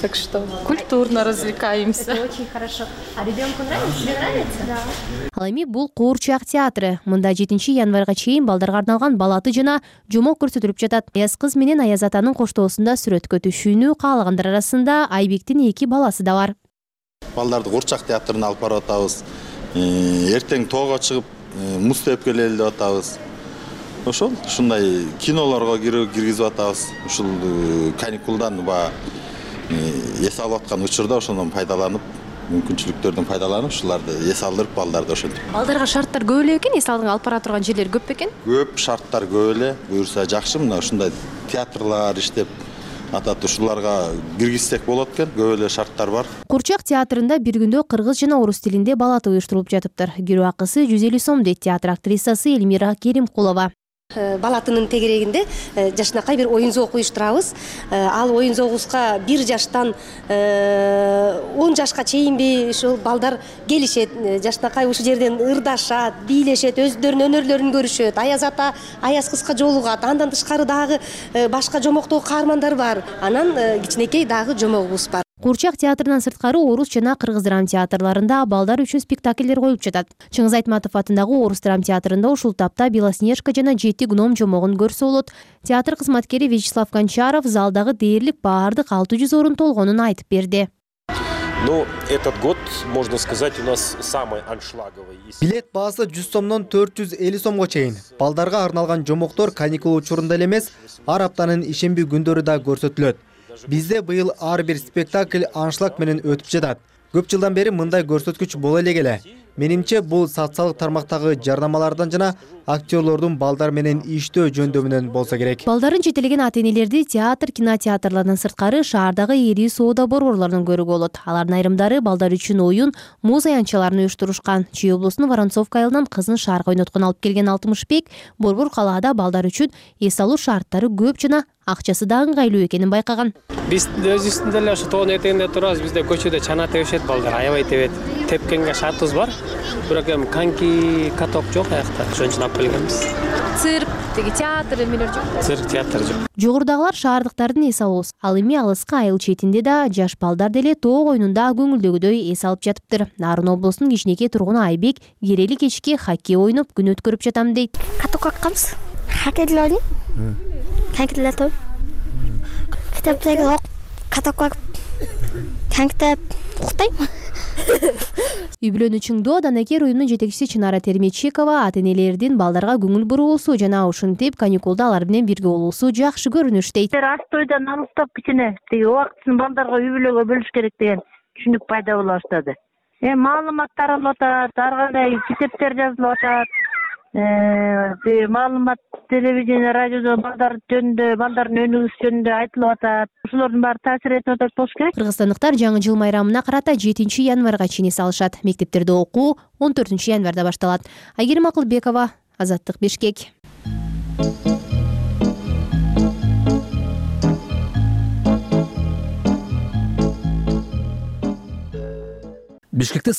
Так что культурно развлекаемся. Это очень хорошо. А ребенку нравится? Тебе нравится? Да. Ал эми бул Куурчак театры. Мында 7-январга чейин балдарга арналган балаты жана жомок көрсөтүлүп жатат. Аяз кыз менен Аяз атанын коштоосунда сүрөткө түшүүнү каалагандар арасында Айбектин 2 баласы да бар. Балдарды Куурчак театрына алып барып атабыз. Эртең тоого чыгып муз теп келели деп атабыз. Ушундай кинолорго киргизип атабыз. Ушул каникулдан эс алып аткан учурда ошондон пайдаланып, мүмкүнчүлүктөрдөн пайдаланып, ушуларды эс алдырып балдарды ошентип. Балдарга шарттар көп эле экен, эс алып бара турган жерлер көп бекен? Көп шарттар көп эле, буюрса жакшы. Мына ушундай театрлар иштеп атат, ушуларга киргизсек болот экен, көп эле шарттар бар. Куурчак театрында бир күндө кыргыз жана орус тилинде балаты уюштурулуп жатыптыр. Кирүү акысы 150 сом дейт театр актрисасы Эльмира Керимкулова. Балатынын тегерегинде жашынакай бир оюн зоок уюштурабыз. Ал оюн зоогубузга 1 жаштан 10 жашка чейинби ушул балдар келишет. Жашынакай ушул жерден ырдашат, бийлешет, өздөрүнүн өнөрлөрүн көрүшөт. Аяз ата Аяз кызга жолугат. Андан тышкары дагы башка жомоктогу каармандар бар. Анан кичинекей дагы жомогубуз бар. Куурчак театрынан сырткары орус жана кыргыз драм театрларында балдар үчүн спектакльдер коюлуп жатат. Чыңгыз Айтматов атындагы орус драм театрында ушул тапта Белоснежка жана 7 гном жомогун көрсө болот. Театр кызматкери Вячеслав Гончаров залдагы дээрлик баардык 600 орун толгонун айтып берди. Ну, этот год, можно сказать, у нас самый аншлаговый. Билет баасы 100 сомдон 450 сомго чейин. Балдарга арналган жомоктор каникул учурунда эле эмес, ар аптанын ишемби күндөрү да көрсөтүлөт. Бизде быйыл ар бир спектакль аншлаг менен өтүп жатат. Көп жылдан бери мындай көрсөткүч боло эле келе. Менимче бул социалдык тармактагы жарнамалардан жана актерлордун балдар менен иштөө жөндөмүнөн болсо керек. Балдарын жетелеген ата-энелерди театр, кинотеатрлардан сырткары шаардагы ири соода борборлорунан көрүүгө болот. Алардын айрымдары балдар үчүн оюн, муз аянтчаларын уюштурушкан. Чүй облусунун Воронцовка айылынан кызын шаарга ойноткон алып келген Алтымышбек борбор калаада балдар үчүн эс алуу шарттары көп жана акчасы да ыңгайлуу экенин байкаган. Биз өзүбүздүн деле ошо тоонун этегинде турабыз. Бизде көчөдө чана тебишет балдар, аябай тебет. Тепкенге шартыбыз бар. Бирок эми коньки, каток жок аякта. Ошон үчүн алып келгенбиз. Цирк, театр эмелер жок. Цирк, театр жок. Жогорудагылар шаардыктардын эс алуусу. Ал эми алыскы айыл четинде да жаш балдар деле тоог оюнунда көңүлдөгүдөй эс алып жатыптыр. Нарын облусунун кичинекей тургуну Айбек керели кечки хоккей ойноп күн өткөрүп жатам дейт. Каток акканбыз. Хоккей деле ойнойм. Коньки деле топ. Китептеги ок, каток коньктеп уктайм. Үй бүлөнү чыңдоо данакер уюмдун жетекчиси Чынара Терметчикова ата-энелердин балдарга көңүл буруусу жана ушинтип каникулда алар менен бирге болуусу жакшы көрүнүш дейт. Астойдан алыстап кичине тиги убактысын балдарга үй бүлөгө бөлүш керек деген түшүнүк пайда боло баштады. Маалымат таралып атат, ар кандай китептер жазылып атат. Маалымат телевидение, радиодо балдар жөнүндө, балдардын өнүгүүсү жөнүндө айтылып атат. Ошолордун баары таасир этип атат болуш керек. Кыргызстандыктар жаңы жыл майрамына карата 7 январга чейин эс алышат. Мектептерде окуу 14 январда башталат. Айгерим Акылбекова, Азаттык, Бишкек. Бишкекте